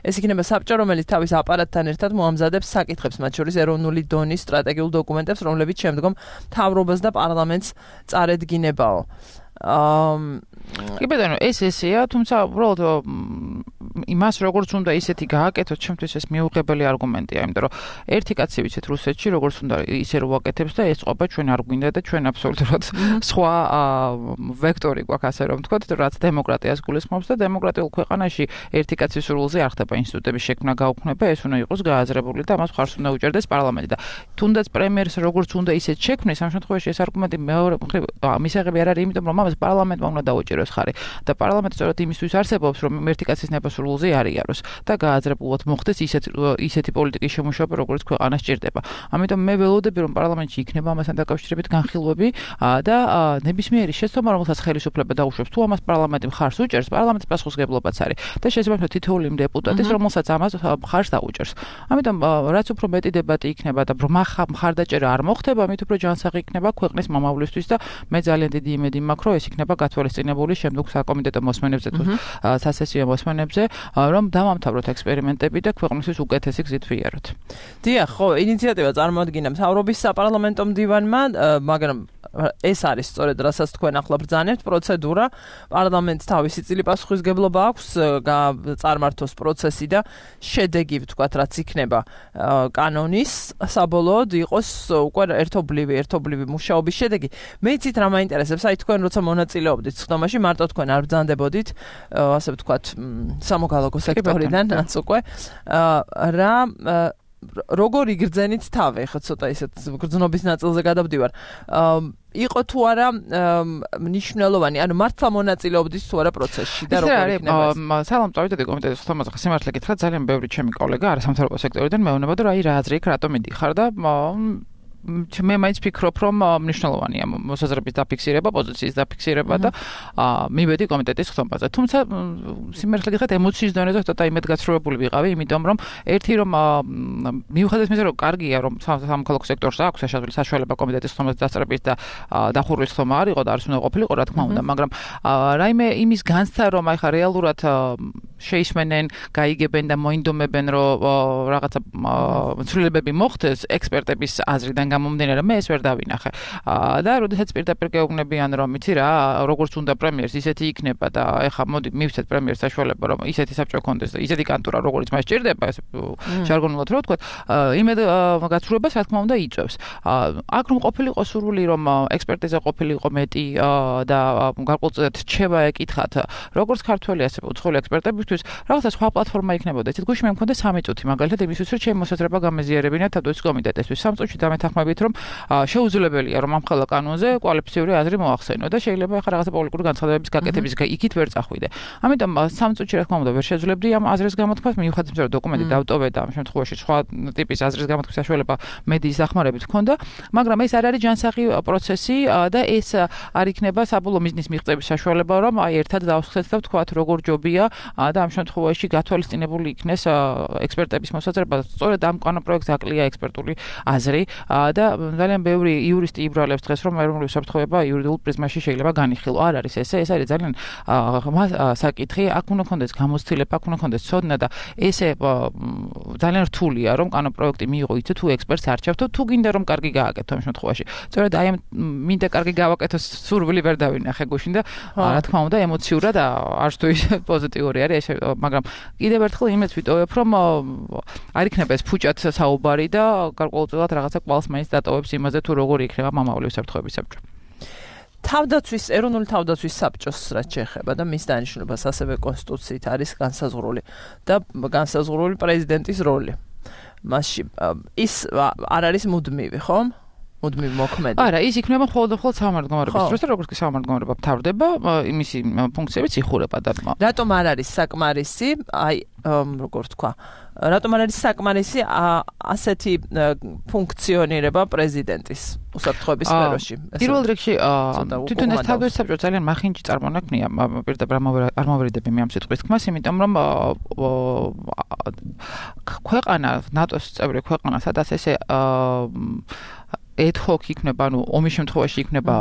ეს იქნება საბჭო, რომელიც თავის აპარატთან ერთად მოამზადებს საკითხებს, მათ შორის ეროვნული დონის სტრატეგიულ დოკუმენტებს, რომლებიც შემდგომ მთავრობას და პარლამენტს წარედგინებაო. კი ბატონო, ეს ესეა, თუმცა უბრალოდ იმას როგორც უნდა ისეთი გააკეთოთ, ჩემთვის ეს მიუღებელი არგუმენტია, იმიტომ რომ ერთი კაცი ვიცით რუსეთში, როგორც უნდა ისე რო ვაკეთებს და ეს ყოფა ჩვენ არ გვინდა და ჩვენ აბსოლუტურად სხვა ვექტორი გვაქვს, ასე რომ ვთქვათ, რაც დემოკრატიას გულისხმობს და დემოკრატიულ ქვეყანაში ერთი კაცის სრულზე არ ხდება ინსტიტუტების შექმნა გაუქმება, ეს უნდა იყოს გააზრებული და ამას ხარს უნდა უჭერდეს პარლამენტი და თუნდაც პრემიერს როგორც უნდა ისეთ შექმნეს, ამ შემთხვევაში ეს არგუმენტი მეორე მისაღები არ არის, იმიტომ რომ ამას პარლამენტმა უნდა დაუჭეროს ხარი და პარლამენტი სწორედ იმისთვის არსებობს, რომ ერთი კაცის ნებასრულზე არ იაროს და გააზრებულად მოხდეს ისეთი პოლიტიკის შემუშავება, როგორც ქვეყანას სჭირდება. ამიტომ მე ველოდები, რომ პარლამენტში იქნება ამასთან დაკავშირებით განხილვები და ნებისმიერი შეცდომა, რომელსაც ხელისუფლება დაუშვებს, თუ ამას პარლამენტი მხარს უჭერს, პარლამენტის პასუხისმგებლობაც არის და შესაბამისად თითოეული დეპუტატის, რომელსაც ამას მხარს დაუჭერს. ამიტომ რაც უფრო მეტი დებატი იქნება და მხარდაჭერა არ მოხდება, მით უფრო ჯანსაღი იქნება ქვეყნის მომავლისთვის და მე ძალიან დიდი იმედი მაქვს, რომ ეს იქნება გათვალისწინებული შემდგომ საკომიტეტო მოსმენებზე თუ სასესიო მოსმენებზე რომ დავამთავროთ ექსპერიმენტები და ქვეყნისთვის უკეთესი გზით ვიაროთ. დიახ, ხო, ინიციატივა წარმოადგინა მთავრობის საპარლამენტო მდივანმა, მაგრამ ეს არის სწორედ რასაც თქვენ ახლა ბრძანებთ პროცედურა, პარლამენტს თავისი წილი პასუხისგებლობა აქვს წარმართოს პროცესი და შედეგი ვთქვათ, რაც იქნება კანონის საბოლოოდ იყოს უკვე ერთობლივი მუშაობის შედეგი. მე იცით რა მაინტერესებს, აი თქვენ როცა მონაწილეობდით სხდომაში, მარტო თქვენ არ ბრძანდებოდით, ასე ვთქვათ, სამოქალაქო სექტორიდან, რაც უკვე რა როგორ იგრძენით თავი, ხო ცოტა ისეთ გრძნობის ნაწილზე გადავდივარ. იყო თუ არა მნიშვნელოვანი, ანუ მართლა მონაწილეობდით თუ არა პროცესში და როგორ იქნება ეს? სალამწავითი კომიტეტის ხმაზე სიმართლე გითხრა, ძალიან ბევრი ჩემი კოლეგა არასამთავრობო სექტორიდან მეუბნება, რომ აი რა აზრი იქ რატომ მიდიხარ და მე მაინც ფიქრობ, რომ მნიშვნელოვანია მოსაზრების დაფიქსირება, პოზიციის დაფიქსირება და მივედი კომიტეტის ხმაზე. თუმცა სიმართლე გითხრათ, ემოციის დონეზე ცოტა იმედგაცრუებული ვიყავი, იმიტომ რომ ერთი რომ მიუხედავად იმისა, რომ კარგია, რომ სამოქალაქო სექტორს აქვს საშუალება კომიტეტის ხმაზე დასწრების და დახურვის ხმა არ იყო და არც უნდა ყოფილიყო, რა თქმა უნდა, მაგრამ რაიმე იმის განცდა, რომ აი ხა რეალურად შეისმენენ, გაიგებენ და მოინდომებენ, რომ რაღაცა ცვლილებები მოხდეს ექსპერტების აზრიდან გამომდინარე, მე ეს ვერ დავინახე. და როდესაც პირდაპირ გეუბნებიან, რომ იცი რა, როგორც უნდა პრემიერს, ისეთი იქნება და ეხა მოდი მივცეთ პრემიერს საშუალება, რომ ისეთი საბჭო კონდეს და ისეთი კანტურა, როგორც მას ჭირდება, ეს ჟარგონულად რო ვთქვათ, იმედგაცრუებას რა თქმა უნდა იწევს. აქ რომ ყოფილიყო სურვილი, რომ ექსპერტიზა ყოფილიყო მეტი და გარკვეულწილად რჩება ეკითხათ, როგორც ქართველი, ასე უცხოელი ექსპერტებისთვის, რაღაცა სხვა პლატფორმა იქნებოდა. იცით, გუშინ მე მქონდა 3 წუთი, მაგალითად იმისთვის, რომ ჩემი მოსაზრება გამეზიარებინა თავდაცვის კომიტეტისთვის. 3 წუთში დამეთანხმებით, რომ შეუძლებელია, რომ ამ ხელა კანონზე კვალიფიციური აზრი მოახსენო და შეიძლება ახლა რაღაცა პოლიტიკური განცხადებების გაკეთების იქით ვერ წახვიდე. ამიტომ 3 წუთში რა თქმა უნდა ვერ შეძლებდი ამ აზრის გამოთქვას, მიუხედავად იმისა, რომ დოკუმენტი დავტოვე და ამ შემთხვევაში სხვა ტიპის აზრის გამოთქმის საშუალება მედიის დახმარებით ჰქონდა, მაგრამ ეს არ არის ჯანსაღი პროცესი და ეს არ იქნება საბოლოო მიზნის მიღწევის საშუალება, რომ აი ერთად დავსხდეთ და ვთქვათ, როგორ ჯობია და ამ შემთხვევაში გათვალისწინებული იქნეს ექსპერტების მოსაზრება, სწორედ ამ კანონპროექტს აკლია ექსპერტული აზრი და ძალიან ბევრი იურისტი იბრალებს დღეს, რომ ეროვნული უსაფრთხოება იურიდიულ პრიზმაში შეიძლება განიხილო. არ არის ესე, ეს არის ძალიან საკითხი, აქ უნდა ქონდეს გამოცდილება, აქ უნდა ქონდეს ცოდნა და ესე ძალიან რთულია, რომ კანონპროექტი მიიღო იცი თუ ექსპერტს არჩევთო, თუ გინდა რომ კარგი გააკეთო ამ შემთხვევაში. სწორედ აი ამ მინდა კარგი გავაკეთოს სურვილი ვერ დავინახე გუშინ და რა თქმა უნდა ემოციურად არც თუ ისე პოზიტიური არის, მაგრამ კიდევ ერთხელ იმეც ვიტოვებ, რომ არ იქნება ეს ფუჭად საუბარი და გარკვეულწილად რაღაცა კვალს მაინც დატოვებს იმაზე თუ როგორი იქნება მამაული უსაფრთხოების საბჭო. ეროვნული თავდაცვის საბჭოს რაც შეეხება და მის დანიშნულებას ასევე კონსტიტუციით არის განსაზღვრული და განსაზღვრული პრეზიდენტის როლი. მასში ის არ არის მუდმივი, ხო? მუდმივი მოქმედი. არა, ის იქნება მხოლოდ სამართლმდგომარეობის დროს და როგორც კი სამართლმდგომარეობა მთავრდება, იმისი ფუნქციებიც იხურება და რატომ არ არის საკმარისი, აი, როგორ თქვა, რატომ არ არის საკმარისი ასეთი ფუნქციონირება პრეზიდენტის უსაფრთხოების სფეროში? პირველ რიგში თვითონ ეს თავდაცვის საბჭო ძალიან მახინჯი წარმონაქმნია, პირდაპირ არ მოვერიდები მე ამ სიტყვის თქმას, იმიტომ რომ ქვეყანა, ნატოს წევრი ქვეყანა, სადაც ესე ad-hoc იქნება, ანუ ომის შემთხვევაში იქნება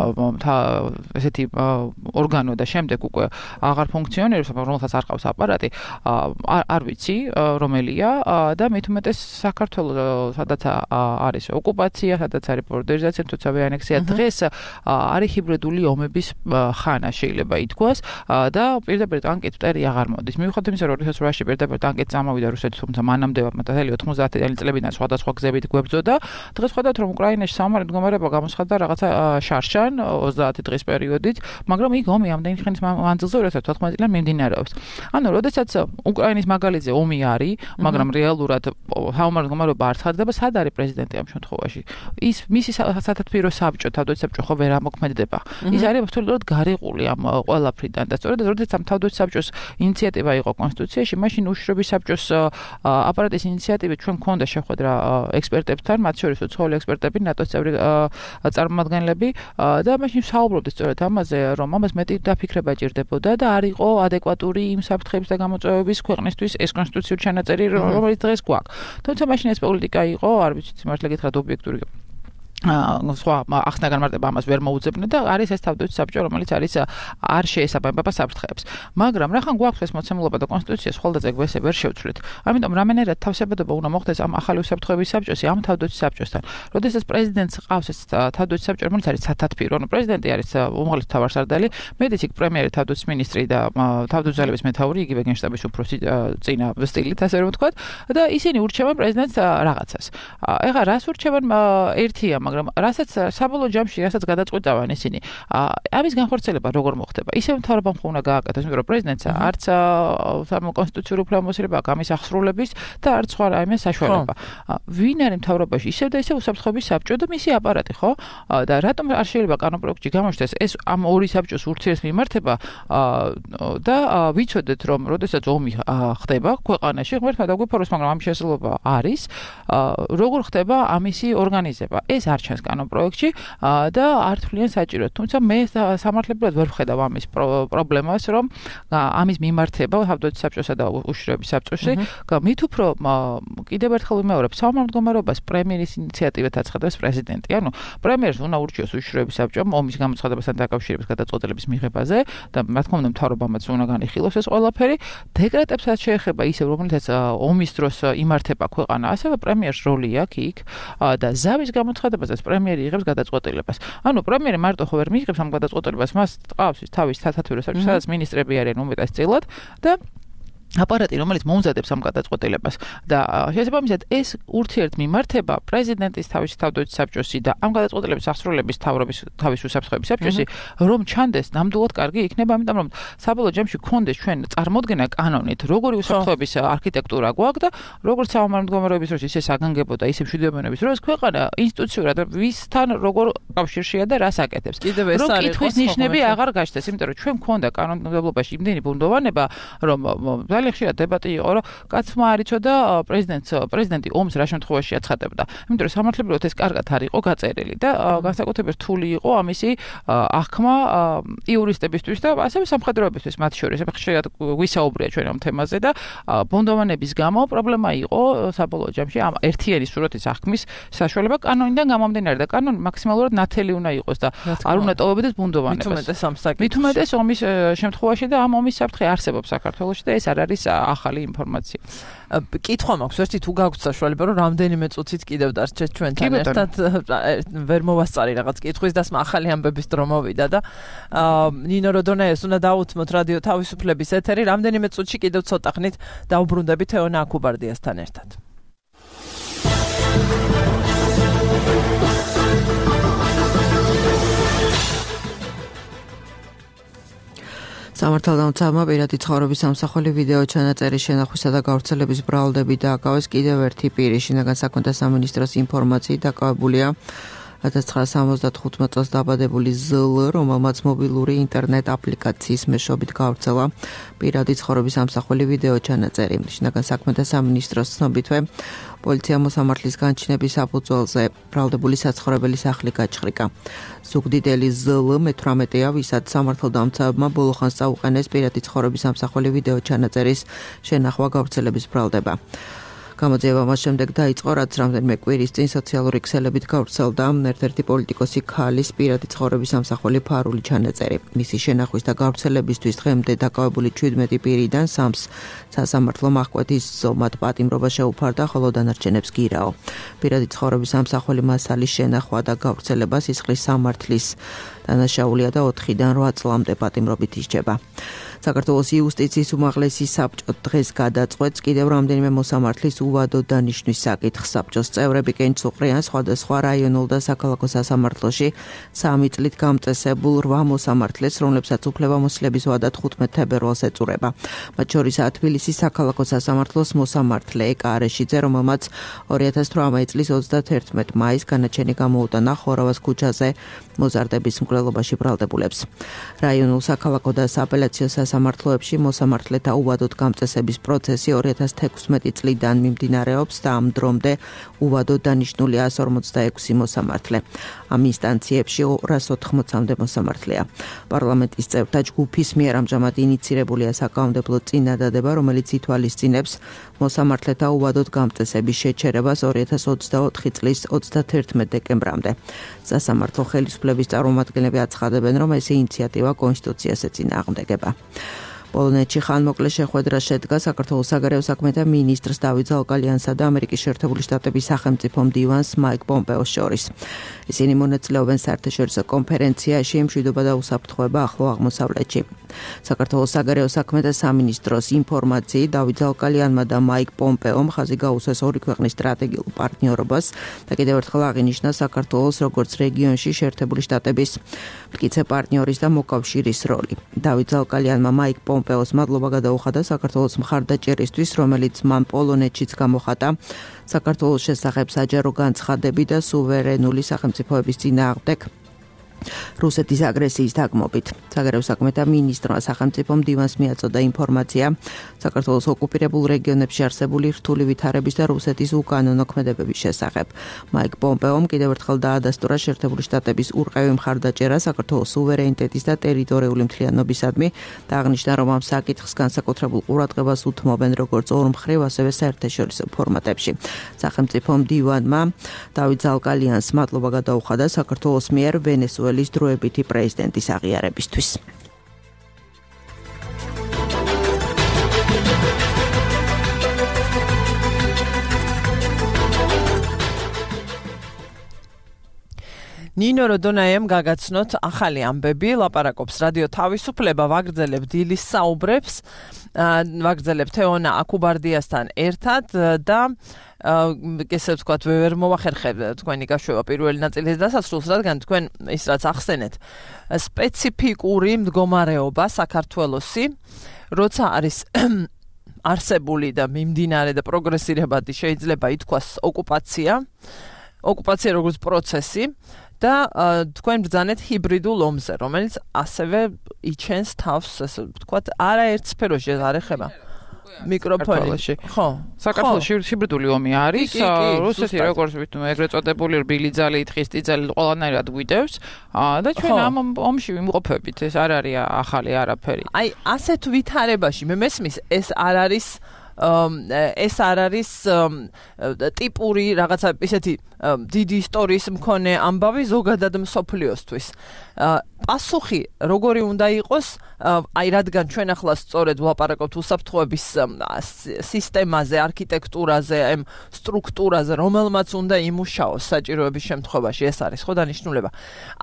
ესეთი ორგანო და შემდეგ უკვე აღარ ფუნქციონირებს, რომელსაც არ ყავს აპარატი, არ ვიცი რომელია და მით უმეტეს საქართველოს სადაც არის ოკუპაცია, სადაც არის ბორდერიზაცია, თუცავე ანექსია, დღეს არის ჰიბრიდული ომების ხანა შეიძლება ითქვას და პირდაპირ ტანკით მტერი აღარ მოდის. მიუხედავად იმისა, რომ 2008-ში პირდაპირ ტანკით წამოვიდა რუსეთი, თუმცა მანამდე მთელი 90-იანი წლებიდან სხვადასხვა გზებით გვებრძოდა. დღეს ხედავთ, რომ უკრაინაში სამარი მდგომარეობა გამოცხადდა რაღაცა შარშან 30 დღის პერიოდით, მაგრამ იქ ომი ამდენი ხნის მანძილზე 2014 წლიდან მიმდინარეობს. ანუ, როდესაც უკრაინის მაგალითზე ომი არის, მაგრამ რეალურად სამარი მდგომარეობა არ ცხადდება, სად არის პრეზიდენტი ამ შემთხვევაში? ის მისი სათათბირო საბჭო, თავდაცვის საბჭო ხო ვერ ამოქმედება. ის არის აბსოლუტურად გარიყული ამ ყველაფრიდან და სწორედ როდესაც ამ თავდაცვის საბჭოს ინიციატივა იყო კონსტიტუციაში, მაშინ უშრობის საბჭოს აპარატის ინიციატივით ჩვენ მქონდა შეხვედრა ექსპერტებთან, მათ შორის უცხოელი ექსპერტები, ნატოს წევრი წარმომადგენლები და მაშინ საუბრობდით სწორედ ამაზე, რომ ამას მეტი დაფიქრება ჭირდებოდა და არ იყო ადეკვატური იმ საფრთხეების და გამოწვევების ქვეყნისთვის ეს კონსტიტუციური ჩანაწერი, რომელიც დღეს გვაქვს. თუმცა მაშინ ეს პოლიტიკა იყო, არ ვიცი, სიმართლე გითხრათ, ობიექტური სხვა ახსნა განმარტება ამას ვერ მოუძებნე და არის ეს თავდაცვის საბჭო, რომელიც არის არ შეესაბამება საფრთხეებს. მაგრამ რახან გვაქვს ეს მოცემულობა და კონსტიტუციას ხოლმე ეგ ვერ შევცვლით. ამიტომ რამენერად თავსებადობა უნდა მოხდეს ამ ახალი უსაფრთხოების საბჭოსი, ამ თავდაცვის საბჭოსთან. როდესაც პრეზიდენტს ყავს ეს თავდაცვის საბჭო, რომელიც არის სათათბირო, პრეზიდენტი არის უმაღლესი მთავარსარდალი, მედიც იქ პრემიერი, თავდაცვის მინისტრი და თავდაცვის ძალების მეთაური, იგივე გენშტაბის უფროსი წინა სტილით, ასე რომ ვთქვათ, და ისინი ურჩევენ პრეზიდენტს რაღაცას. ეხლა რას ურჩევენ ერთია, მაგრამ რასაც საბოლოო ჯამში რასაც გადაწყვეტავენ ისინი ამის განხორციელება როგორ მოხდება ისევ მთავრობამ უნდა გააკეთოს იმიტომ რომ პრეზიდენტს არც კონსტიტუციური უფლებამოსილება აქვს ამის აღსრულების და არც სხვა რაიმე საშუალება ვინ არის მთავრობაში ისევ და ისევ უსაფრთხოების საბჭო და მისი აპარატი ხო და რატომ არ შეიძლება კანონპროექტში გამოჩნდეს ეს ამ ორი საბჭოს ურთიერთმიმართება და ვიცოდეთ რომ როდესაც ომი ხდება ქვეყანაში ღმერთმა დაგვიფოროს მაგრამ ამის შესაძლებლობა არის როგორ ხდება ამისი ორგანიზება ეს არ ჩანს კანონპროექტში და არ თვლიან საჭიროდ. თუმცა მე სამართლებრივად ვერ ვხედავ ამის პრობლემას, რომ ამის მიმართება თავდაცვის საბჭოსა და უშიშროების საბჭოში, მით უფრო კიდევ ერთხელ ვიმეორებ, საომარ პრემიერის ინიციატივით აცხადებს პრეზიდენტი. ანუ პრემიერს უნდა ურჩიოს უშიშროების საბჭომ ომის გამოცხადებასთან დაკავშირების გადაწყვეტილების მიღებაზე და რა თქმა უნდა მთავრობამაც უნდა განიხილოს ეს ყველაფერი. დეკრეტებსაც შეეხება ისევ, რომელთაც ომის დროს იმართება ქვეყანა, ასევე პრემიერს როლი აქვს იქ და ზავის გამოცხადებაზე პრემიერი იღებს გადაწყვეტილებას. ანუ პრემიერი მარტო ხო ვერ მიიღებს ამ გადაწყვეტილებას, მას ყავს თავის სათათბირო საბჭო, სადაც მინისტრები არიან უმეტესწილად და აპარატი რომელიც მომზადებს ამ გადაწყვეტილებას და შესაბამისად ეს ურთიერთმიმართება პრეზიდენტის თავდაცვის საბჭოსი და ამ გადაწყვეტილების აღსრულების თავის უსაფრთხოების საბჭოსი რომ ჩანდეს ნამდვილად კარგი იქნება ამიტომ რომ საბოლოო ჯამში გქონდეს ჩვენ წარმოდგენა კანონით როგორი უსაფრთხოების არქიტექტურა გვაქვს და როგორც საომარ მდგომარეობის დროს ისე საგანგებო და ისე მშვიდობიანობის დროს ქვეყანა ინსტიტუციურად ვისთან როგორ კავშირშია და რას აკეთებს რომ კითხვის ნიშნები აღარ გაჩნდეს იმიტომ რომ ჩვენ გქონდა კანონმდებლობაში იმდენი ბუნდოვანება რომ ხშირად დებატი იყო, რომ კაცმა არ იცოდა პრეზიდენტი ომს რა შემთხვევაში აცხადებდა. იმიტომ რომ სამართლებრივად ეს კარგად არ იყო გაწერილი და განსაკუთრებით რთული იყო ამისი აღქმა იურისტებისთვის და ასევე სამხედროებისთვის მათ შორის. ხშირად ვისაუბრია ჩვენ ამ თემაზე და ბუნდოვანების გამო პრობლემა იყო საბოლოო ჯამში ამ ერთიანი სურათის აღქმის საშუალება კანონიდან გამომდინარე და კანონი მაქსიმალურად ნათელი უნდა იყოს და არ უნდა ტოვებოდეს ბუნდოვანებას. მით უმეტეს omის შემთხვევაში და ამ ომის საფრთხე არსებობს საქართველოში და ეს არ არის ახალი ინფორმაცია. კითხვა მაქვს, ვერცი თუ გაგვთ საშუალება, რომ რამდენიმე წუთით კიდევ დარჩეთ ჩვენთან ერთად ვერ მოვასწარი რაღაც კითხვის დასმა ახალი ამბების დრო მოვიდა და ნინო როდონეეს უნდა დაუთმოთ რადიო თავისუფლების ეთერი, რამდენიმე წუთში კიდევ ცოტა ხნით დაუბრუნდებით ეონა აკუბარდიასთან ერთად. სამართალდამცავმა პირადი ცხოვრების სამსახური ვიდეო ჩანაწერის შენახვისა და გავრცელების ბრალდები დააკავეს კიდევ ერთი პირი. შინაგან საქმეთა სამინისტროს ინფორმაციით დაკავებულია 1975 წელს დაბადებული ზლ, რომელმაც მობილური ინტერნეტ აპლიკაციის მეშვეობით გავრცელა პირადი ცხოვრების სამსახური ვიდეო ჩანაწერი. შინაგან საქმეთა სამინისტროს ცნობითვე პოლიცია მოსამართლის განჩინების საფუძველზე ბრალდებული საცხოვრებელი სახლი გაჩხრიკა. ზუგდიდელი ზლ მე-18-ია, ვისაც სამართალდამცავმა ბოლო ხანს წაუყენეს პირადი ცხოვრების სამსახური ვიდეო ჩანაწერის შენახვა გავრცელების ბრალდება. გამოძიება მას შემდეგ დაიწყო, რაც რამდენიმე კვირის წინ სოციალური ქსელებით გავრცელდა ერთ-ერთი პოლიტიკოსი ქალის პირადი ცხოვრების სამსახური ფარული ჩანაწერი. მისი შენახვის და გავრცელებისთვის დღემდე დაკავებული 17 პირიდან 3-ს სასამართლო მახკვეთის ზომად პატიმრობა შეუფარდა, ხოლო დანარჩენებს გირაო. პირადი ცხოვრების სამსახური მასალის შენახვა და გავრცელება სისხლის სამართლის დანაშაულია და 4-დან 8 წლამდე პატიმრობით ისჯება. საქართველოს იუსტიციის უმაღლესი საბჭო დღეს გადაწყვეტს კიდევ რამდენიმე მოსამართლის უვადო დანიშვნის საკითხს. საბჭოს წევრები კენჭსუყრიან სხვადასხვა რაიონულ და საქალაქო სასამართლოში 3 წლით გამწესებულ 8 მოსამართლეს, რომლებსაც უფლებამოსილების ვადა 15 თებერვალს ეწურება. მათ შორისაა თბილისის საქალაქო სასამართლოს მოსამართლე ეკა არეშიძე, რომელმაც 2018 წლის 31 მაისს განაჩენი გამოუტანა ხორავას ქუჩაზე მოზარდების მკვლელობაში ბრალდებულებს. რაიონულ საქალაქო და სააპელაციო სასამართლოებში მოსამართლეთა უვადოდ გამწესების პროცესი 2016 წლიდან მიმდინარეობს და ამ დრომდე უვადოდ დანიშნული 146 მოსამართლე. ამ ინსტანციებში 280-მდე მოსამართლეა. პარლამენტის წევრთა ჯგუფის მიერ ამჟამად ინიცირებულია საკანონმდებლო წინადადება, რომელიც ითვალისწინებს მოსამართლეთა უვადოდ გამწესების შეჩერებას 2024 წლის 31 დეკემბრამდე. სასამართლო ხელისუფლების წარმომადგენლები აცხადებენ, რომ ეს ინიციატივა კონსტიტუციას ეწინააღმდეგება. პოლონეთში ხანმოკლე შეხვედრა შედგა საქართველოს საგარეო საქმეთა მინისტრს დავით ზაოკალიანსა და ამერიკის შეერთებული შტატების სახელმწიფო მდივანს მაიკ პომპეოს შორის. ისინი მონაწილეობენ საერთაშორისო კონფერენციაში მშვიდობა და უსაფრთხოება ახლო აღმოსავლეთში. საქართველოს საგარეო საქმეთა სამინისტროს ინფორმაციით დავით ზაოკალიანმა და მაიკ პომპეომ ხაზი გაუსვეს ორი ქვეყნის სტრატეგიულ პარტნიორობას და კიდევ ერთხელ აღინიშნა საქართველოს როგორც რეგიონში შეერთებული შტატების მტკიცე პარტნიორის და მოკავშირის როლი. დავით ზაოკალიანმა მაიკ პომპეოს მადლობა გადაუხადა საქართველოს მხარდაჭერისთვის, რომელიც მან პოლონეთშიც გამოხატა საქართველოს შესახებ საჯარო განცხადები და სუვერენული სახელმწიფოების წინააღმდეგ რუსეთის აგრესიის დაგმობით. საგარეო საქმეთა მინისტრმა სახელმწიფო მდივანს მიაწოდა ინფორმაცია საქართველოს ოკუპირებულ რეგიონებში არსებული რთული ვითარების და რუსეთის უკანონო ქმედებების შესახებ. მაიკ პომპეომ კიდევ ერთხელ დაადასტურა შეერთებული შტატების ურყევი მხარდაჭერა საქართველოს სუვერენიტეტის და ტერიტორიული მთლიანობისადმი და აღნიშნა, რომ ამ საკითხს განსაკუთრებულ ყურადღებას უთმობენ როგორც ორმხრივ, ასევე საერთაშორისო ფორმატებში. სახელმწიფო მდივანმა დავით ზაოკალიანს მადლობა გადაუხადა საქართველოს მიერ ვენესუელის დროებითი პრეზიდენტის აღიარებისთვის. ნინო როდონაიამ გაგაცნოთ ახალი ამბები, ლაპარაკობს რადიო თავისუფლება, ვაგრძელებ დილის საუბრებს, ვაგრძელებ თეონა აკუბარდიასთან ერთად და ესე ვთქვათ, ვერ მოვახერხებ თქვენი გაშვება პირველი ნაწილის დასასრულს, რადგან თქვენ ის რაც ახსენეთ, სპეციფიკური მდგომარეობა საქართველოსი, როცა არის არსებული და მიმდინარე და პროგრესირებადი შეიძლება ითქვას ოკუპაცია როგორც პროცესი და თქვენ ბრძანეთ ჰიბრიდულ ომზე, რომელიც ასევე იჩენს თავს, ასე ვთქვათ, არაერთ სფეროში არ ეხება. მიკროფონში. ხო. საქართველოში ჰიბრიდული ომი არის, რუსეთი როგორც ეგრეთ წოდებული რბილი ძალი, თხისტი ძალი ყველანაირად გვიდევს და ჩვენ ამ ომში ვიმყოფებით, ეს არ არის ახალი არაფერი. აი, ასეთ ვითარებაში მე მესმის ეს არ არის ტიპური რაღაცა ისეთი დიდი ისტორიის მქონე ამბავი ზოგადად მსოფლიოსთვის. პასუხი როგორი უნდა იყოს, აი რადგან ჩვენ ახლა სწორედ ვლაპარაკობთ უსაფრთხოების სისტემაზე, არქიტექტურაზე, ამ სტრუქტურაზე, რომელმაც უნდა იმუშაოს საჭიროების შემთხვევაში, ეს არის ხო დანიშნულება.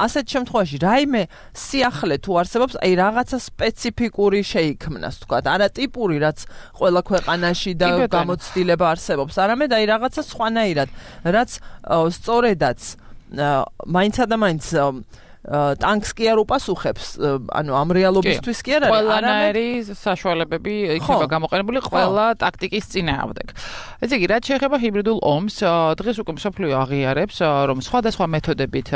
ასეთ შემთხვევაში რაიმე სიახლე თუ არსებობს, აი რაღაცა სპეციფიკური შეიქმნას, თქვათ, არა ტიპური, რაც ყველა ქვეყანაში და გამოცდილება არსებობს, არამედ აი რაღაცა სხვანაირად, რაც სწორედაც მაინცა და მაინც ტანკს კი არ უპასუხებს, ანუ ამ რეალობისთვის კი არ არის, ყველანაირი საშუალებები იქნება გამოყენებული ყველა ტაქტიკის წინააღმდეგ. ესე იგი, რაც შეეხება ჰიბრიდულ ომს, დღეს უკვე მსოფლიო აღიარებს, რომ სხვადასხვა მეთოდებით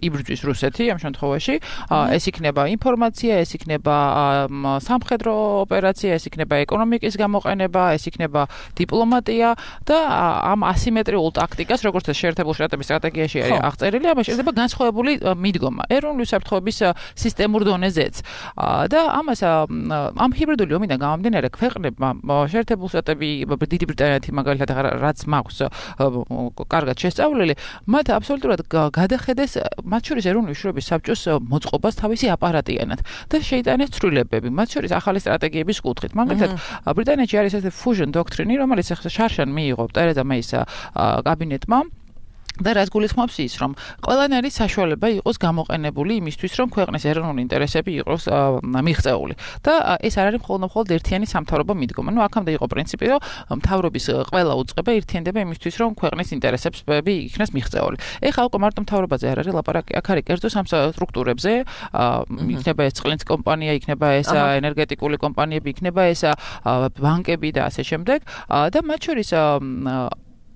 იბრძვის რუსეთი ამ შემთხვევაში, ეს იქნება ინფორმაცია, ეს იქნება სამხედრო ოპერაცია, ეს იქნება ეკონომიკის გამოყენება, ეს იქნება დიპლომატია და ამ ასიმეტრიულ ტაქტიკას, როგორც შეერთებული შტატების სტრატეგიაში არის აღწერილი, ამას შეიძლება განსხვავებული მიდგომა ეროვნული უსაფრთხოების სისტემურ დონეზეც და ამას ამ ჰიბრიდული ომიდან გამომდინარე ქვეყნებმა შეერთებული შტატები, დიდი ბრიტანეთი მაგალითად რაც მაქვს კარგად შესწავლილი, მათ აბსოლუტურად გადახედეს მათ შორის ეროვნული უშუალობის საბჭოს მოწყობას თავისი აპარატიანად და შეიტანეს ცვლილებები, მათ შორის ახალი სტრატეგიების კუთხით. მაგალითად ბრიტანეთში არის ესეთი fusion doctrine, რომელიც შარშან მიიღო ტერეზა მეის კაბინეტმა და რაც გულისხმობს ის, რომ ყველანაირი საშუალება იყოს გამოყენებული იმისთვის, რომ ქვეყნის ეროვნული ინტერესები იყოს მიღწეული. და ეს არ არის მხოლოდ ერთიანი სამთავრობო მიდგომა. ნუ აქამდე იყო პრინციპი, რომ მთავრობის ყველა უწყება ერთიანდება იმისთვის, რომ ქვეყნის ინტერესები იქნას მიღწეული. ეხლა უკვე მარტო მთავრობაზე არ არის ლაპარაკი, აქ არის კერძო სამ სტრუქტურებზე, იქნება ეს წყლის კომპანია, იქნება ეს ენერგეტიკული კომპანიები, იქნება ეს ბანკები და ასე შემდეგ. და მათ შორის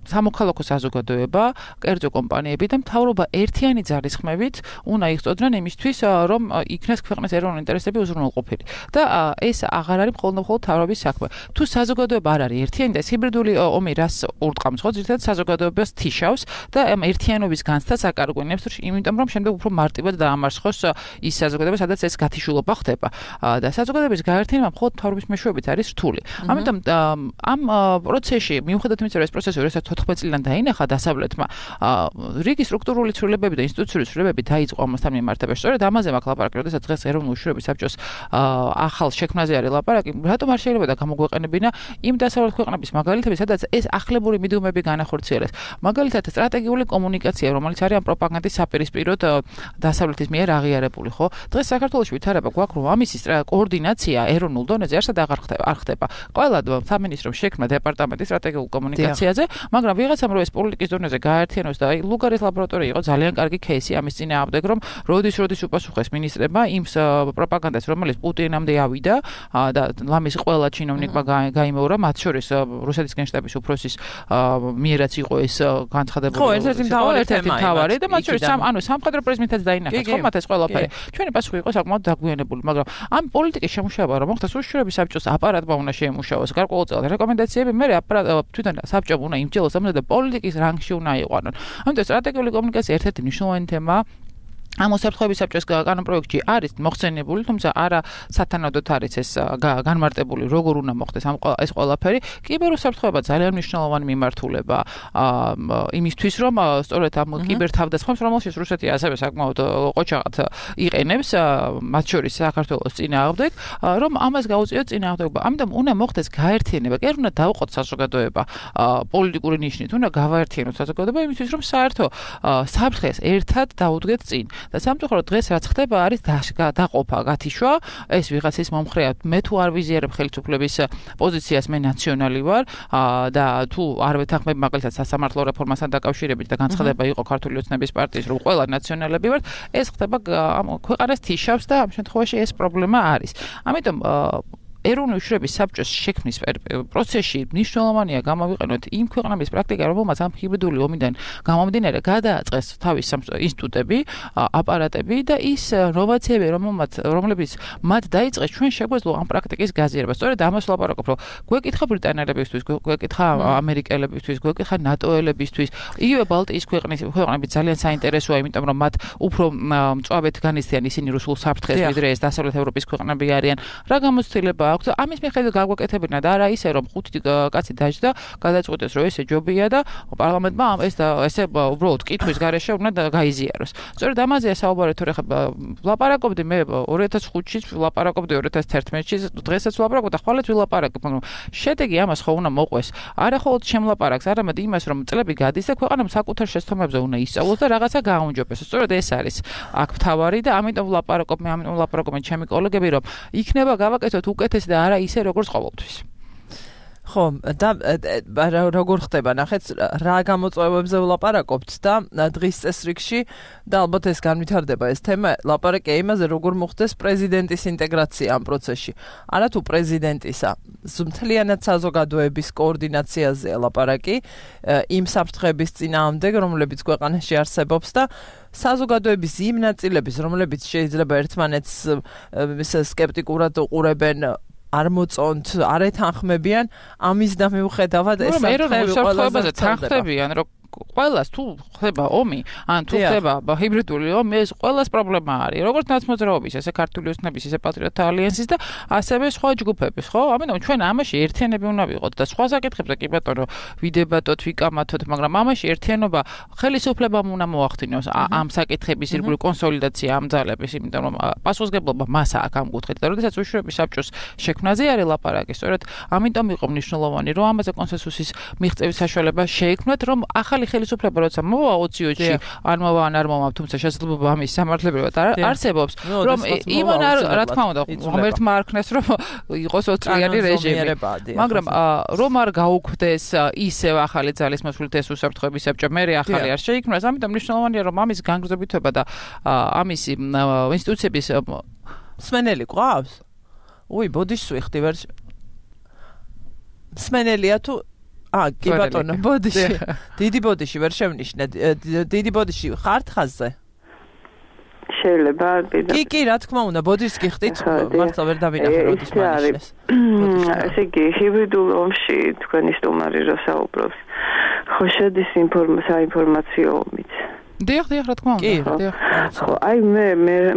სამოქალაქო საზოგადოება, კერძო კომპანიები და მთავრობა ერთიანი ძალისხმევით უნდა იღწოდნენ იმისთვის, რომ იქნეს ქვეყნის ეროვნული ინტერესები უზრუნველყოფილი. და ეს აღარ არის მხოლოდ მთავრობის საქმე. თუ საზოგადოება არ არის ერთიანი და ჰიბრიდული ომი რას ურტყამს, ხო, ძირითადად საზოგადოებას თიშავს და ამ ერთიანობის განცდას აკარგვინებს, იმიტომ რომ შემდეგ უფრო მარტივად დაამარცხოს ის საზოგადოება, სადაც ეს გათიშულობა ხდება. და საზოგადოების გაერთიანება მხოლოდ მთავრობის მეშვეობით არის რთული. ამიტომ ამ პროცესში, მიუხედავად იმისა, რომ ეს პროცესი 2014 წლიდან დაინახა დასავლეთმა, რიგი სტრუქტურული ცვლილებები და ინსტიტუციური ცვლილებები დაიწყო ამასთან მიმართებაში. სწორედ ამაზე მაქვს ლაპარაკი, როდესაც დღეს ეროვნული უშუალობის საბჭოს ახალ შექმნაზე არის ლაპარაკი, რატომ არ შეიძლება და გამოგვეყენებინა იმ დასავლეთ ქვეყნების მაგალითები, სადაც ეს ახლებური მიდუმები განახორციელეს. მაგალითად, სტრატეგიული კომუნიკაცია, რომელიც არის ამ პროპაგანდის საპირისპიროდ დასავლეთის მიერ აღიარებული, ხო? დღეს საქართველოში ვითარება გვაქვს, რომ ამისი კოორდინაცია ეროვნულ დონეზე არსად აღარ ხდება. ყველა სამინისტრომ შექმნა დეპარტამენტი სტრატეგიულ კომუნიკაციაზე, მაგრამ ვიღაცამ რომ ეს პოლიტიკის დონეზე გააერთიანოს და ლუგარის ლაბორატორია იყო ძალიან კარგი кейსი ამის წინააღმდეგ, რომ როდის უპასუხეს მინისტრებმა იმ პროპაგანდას, რომელიც პუტინამდე ავიდა და ლამის ყველა ჩინოვნიკმა გაიმეორა, მათ შორის რუსეთის გენშტაბის უფროსის მიერაც იყო ეს განცხადებული. ხო, ერთ-ერთი მთავარი და მათ შორის სამხედრო პრიზმითაც დაინახეს, ხო, მათ ეს ყველაფერი. ჩვენი პასუხი იყო საკმაოდ დაგვიანებული, მაგრამ ამ პოლიტიკის შემუშავება რომ მოხდეს უშუალობის საბჭოს აპარატმა უნდა შეემუშავოს გარკვეულწილად რეკომენდაციები, მე თვითონ საბჭომ უნდა იმჯელოს ამაზე და პოლიტიკის რანგში უნდა იყვანონ. ამიტომ სტრატეგიული კომუნიკაცია ერთ-ერთი მნიშვნელოვანი თემაა. ამ უსაფრთხოების საბჭოს კანონპროექტში არის მოხსენებული, თუმცა არა სათანადოდ არის ეს განმარტებული, როგორ უნდა მოხდეს ეს ყველაფერი. კიბერუსაფრთხოება ძალიან მნიშვნელოვანი მიმართულება იმისთვის, რომ სწორედ ამ კიბერთავდასხმებს, რომელშიც რუსეთი ასევე საკმაოდ ყოჩაღად იყენებს, მათ შორის საქართველოს წინააღმდეგ, რომ ამას გაუწიოთ წინააღმდეგობა. ამიტომ უნდა მოხდეს გაერთიანება, კი არ უნდა დავუყოთ საზოგადოება პოლიტიკური ნიშნით, უნდა გავაერთიანოთ საზოგადოება იმისთვის, რომ საერთო საფრთხეს ერთად დაუდგეთ წინ. და სამწუხაროდ დღეს რაც ხდება არის დაყოფა, გათიშვა, ეს ვიღაცის მომხრეა, მე თუ არ ვიზიარებ ხელისუფლების პოზიციას, მე ნაციონალი ვარ და თუ არ ვეთანხმებ მაგალითად სასამართლო რეფორმასთან დაკავშირებით და განცხადება იყო ქართული ოცნების პარტიის, რომ ყველა ნაციონალები ვართ, ეს ხდება ქვეყანას თიშავს და ამ შემთხვევაში ეს პრობლემა არის. ამიტომ ეროვნული უშუალობის საბჭოს შექმნის პროცესში მნიშვნელოვანია გამოვიყენოთ იმ ქვეყნების პრაქტიკა, რომელმაც ამ ჰიბრიდული ომიდან გამომდინარე გადააწყეს თავის ინსტიტუტები, აპარატები და ის ნოვაციები, რომლებიც მათ დაიწყეს, ჩვენ შეგვეძლო ამ პრაქტიკის გაზიარება. სწორედ ამას ვლაპარაკობ, რომ გვეკითხა ბრიტანელებისთვის, გვეკითხა ამერიკელებისთვის, გვეკითხა ნატოელებისთვის, იგივე ბალტიის ქვეყნები ძალიან საინტერესოა, იმიტომ რომ მათ უფრო მწვავედ განიცდიან ისინი რუსულ საფრთხეს, ვიდრე ეს დასავლეთ ევროპის ქვეყნები არიან. რა გამოცდილება ამის მიხედვით გაგვეკეთებინა და არა ისე რომ 5 კაცი დაჯდა, გადაწყვეტეს რომ ესე ჯობია და პარლამენტმა ესე უბრალოდ კითხვის გარეშე უნდა გაიზიაროს. სწორედ ამაზეა საუბარი, თორე ხა ვლაპარაკობდი მე 2005-ში, ვლაპარაკობდი 2011-ში, დღესაც ვლაპარაკობ და ხვალეთ ვილაპარაკებ. შედეგი ამას ხო უნდა მოყვეს. არა ხოლმე შემლაპარაკს, არამედ იმას რომ წლები გადის და ქვეყანამ საკუთარ შესაბამისებზე უნდა ისწავლოს და რაღაცა გააუმჯობესოს. სწორედ ეს არის აქ მთავარი და ამიტომ ვლაპარაკობ ჩემი კოლეგები რომ იქნება გავაკეთოთ უკეთეს და არა ისე როგორც ყოველთვის. ხო, და როგორ ხდება, ნახეთ, რა გამოწვევებზე ვლაპარაკობთ და დღის წესრიგში და ალბათ ეს განვითარდება ეს თემა, ლაპარაკია იმაზე, როგორ მოხდეს პრეზიდენტის ინტეგრაცია ამ პროცესში. არა თუ პრეზიდენტისა, მთლიანად საზოგადოების კოორდინაციაზეა ლაპარაკი, იმ საფრთხების წინააღმდეგ, რომლებიც ქვეყანაში არსებობს და საზოგადოების იმ ნაწილების, რომლებიც შეიძლება ერთმანეთს სკეპტიკურად უყურებენ, არ მოწონთ, არ ეთანხმებიან, ამის და მიუხედავად ეს საფრთხეებაზე თანხმდებიან, რომ ყველას თუ ხდება ომი, ან თუ ხდება ჰიბრიდული ომი, ეს ყველას პრობლემა არის. როგორც ნაცმოძრაობის, ესე ქართული ოცნების, ესე პატრიოტთა ალიანსის და ასევე სხვა ჯგუფების, ხო? ამიტომ ჩვენ ამაში ერთიანები უნდა ვიყოთ და სხვა საკითხებზე კი ბატონო, ვიდებატოთ, ვიკამათოთ, მაგრამ ამაში ერთიანობა ხელისუფლებამ უნდა მოახდინოს ამ საკითხების ირგვლივ კონსოლიდაცია ამ ძალების, იმიტომ რომ პასუხისმგებლობა მას აქვს ამ კუთხით და როდესაც უშუალობის საბჭოს შექმნაზე არის ლაპარაკი, სწორედ ამიტომ იყო მნიშვნელოვანი, რომ ამაზე კონსენსუსის მიღწევის საშუალება შეიქმნათ, რომ ახალი ხელისუფლება როცა მოვა 20-ში არ მოვა ან არ მოვა, თუმცა შესაძლებლობა ამის სამართლებრივად არსებობს, რომ იმან რა თქმა უნდა ღმერთმა არ ქნეს, რომ იყოს 20 წლიანი რეჟიმი, მაგრამ რომ არ გაუქმდეს ისევ ახალი ძალის მოსვლით ეს უსაფრთხოების საბჭო, მე ახალი არ შეიქმნას, ამიტომ მნიშვნელოვანია რომ ამის განგრძობითობა და ამის ინსტიტუციების სმენელი ყავს? ბოდიშს ვიხდი ვერ სმენელია თუ კი ბატონო, ბოდიში. დიდი ბოდიში ვერ შევნიშნე. დიდი ბოდიში ხართ ხაზზე? შეიძლება კი, რა თქმა უნდა, ბოდიშს გიხდით, მართლა ვერ დავინახე როდის მანიშნეს. ესე იგი, ჰიბრიდულ ომში თქვენი სტუმარი რო საუბრობს, ხო შედის საინფორმაციო ომიც. დიახ, რა თქმა უნდა. დიახ. ხო, აი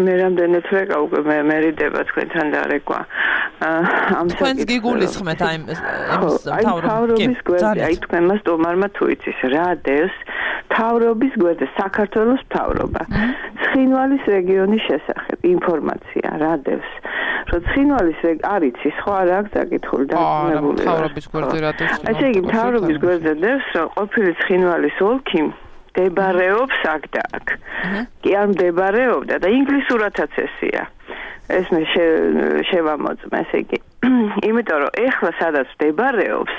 მე რამდენად ვეკა უკვე მერიდება თქვენთან დარეკვა. თქვენს გიგულისხმეთ აი თავრობის გვერდზე, აი თქვენმა სტუმარმა თუ იცის რა დევს თავრობის გვერდზე საქართველოს თავრობა. ცხინვალის რეგიონის შესახებ ინფორმაცია რა დევს. რომ ცხინვალის არ იცის ხო არ აქვს საკითხული დაგმებული. თავრობის გვერდზე რა დევს? ესე იგი თავრობის გვერდზე დევს რომ ყოფილი ცხინვალის ოლქი მდებარეობს აქ და აქ. კი არ მდებარეობდა და ინგლისურადაც ესია. ეს მე შევამოწმე, ესე იგი. იმიტომ რომ ეხლა სადაც მდებარეობს,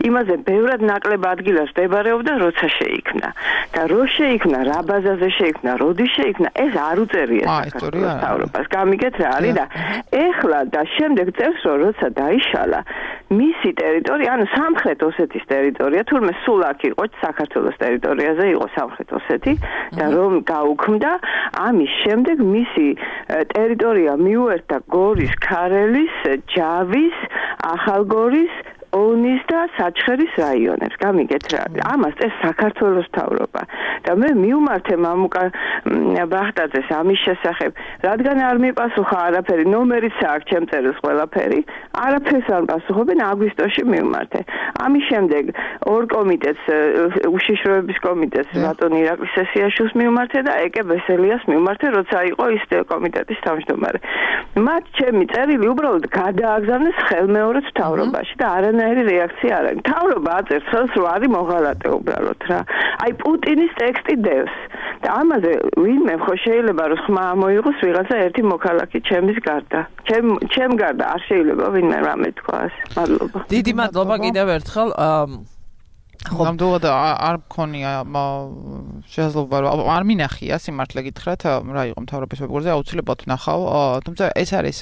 იმაზე ბევრად ნაკლებ ადგილას მდებარეობდა, როცა შეიქმნა. და რო შეიქმნა, რა ბაზაზე შეიქმნა, როდის შეიქმნა, ეს არ უწერია საქართველოს თავრობას. გამიგეთ რა არის და ეხლა და შემდეგ წევს რომ როცა დაიშალა, მისი ტერიტორია, ანუ სამხრეთ ოსეთის ტერიტორია, თურმე სულ აქ იყო საქართველოს ტერიტორიაზე იყო სამხრეთ ოსეთი და რომ გაუქმდა, ამის შემდეგ მისი ტერიტორია მიუერთა გორის, ქარელის, ჯავის, ახალგორის ონის და საჩხერის რაიონებს. გამიგეთ რა. ამას ეს საქართველოს თავრობა. და მე მივმართე მამუკა ბახტაძეს ამის შესახებ, რადგან არ მიპასუხა არაფერი, ნომერიც აქვს ჩემ წერილს ყველაფერი, არაფერს არ პასუხობენ, აგვისტოში მივმართე. ამის შემდეგ ორ კომიტეტს, უშიშროების კომიტეტს ბატონ ირაკლი სესიაშვილს მივმართე და ეკე ბესელიას მივმართე, როცა იყო ის კომიტეტის თავმჯდომარე. მათ ჩემი წერილი უბრალოდ გადააგზავნეს ხელმეორედ თავრობაში და არანაირი რეაქცია არ არის. თავრობა აწერს ხელს, რომ არის მოღალატე უბრალოდ რა. აი პუტინის ტექსტი დევს. და ამაზე ვინმე ხო შეიძლება რომ ხმა მოიღოს ვიღაცა ერთი მოქალაქე ჩემის გარდა. ჩემ გარდა არ შეიძლება ვინმე რამე თქვას. მადლობა. დიდი მადლობა კიდევ ერთხელ. ნამდვილად არ მქონია შესაძლებლობა რომ არ მინახია სიმართლე გითხრათ რა იყო მთავრობის ვებგვერდზე აუცილებლად ვნახავ თუმცა ეს არის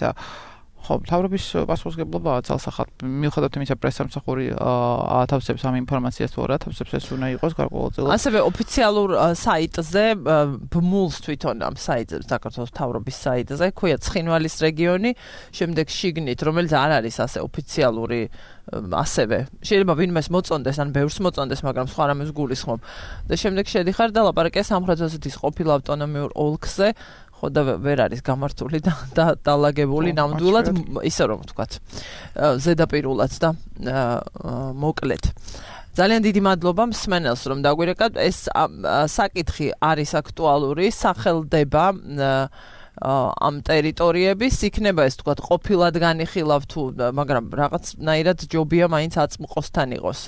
ხო მთავრობის პასუხისმგებლობაა ძალსახად მიუხედავად იმისა პრესსამსახური ათავსებს ამ ინფორმაციას თუ არა ათავსებს ეს უნდა იყოს გარკვეულწილად ასევე ოფიციალურ საიტზე ბმულს თვითონ ამ საიტზე საქართველოს მთავრობის საიტზე ქვია ცხინვალის რეგიონი შემდეგ შიგნით რომელიც არ არის ასე ოფიციალური ასევე შეიძლება ვინმეს მოწონდეს ან ბევრს მოწონდეს მაგრამ სხვა რამეს გულისხმობ და შემდეგ შედიხარ და ლაპარაკია სამხრეთ ოსეთის ყოფილ ავტონომიურ ოლქზე ხო და ვერ არის გამართული და დალაგებული ნამდვილად ისე რომ ვთქვათ ზედაპირულად და მოკლედ ძალიან დიდი მადლობა მსმენელს რომ დაგვირეკავთ ეს საკითხი არის აქტუალური სახელდება ამ ტერიტორიების იქნება ეს თქვა ყოფილად განიხილავ თუ მაგრამ რაღაცნაირად ჯობია მაინც აწმყოსთან იყოს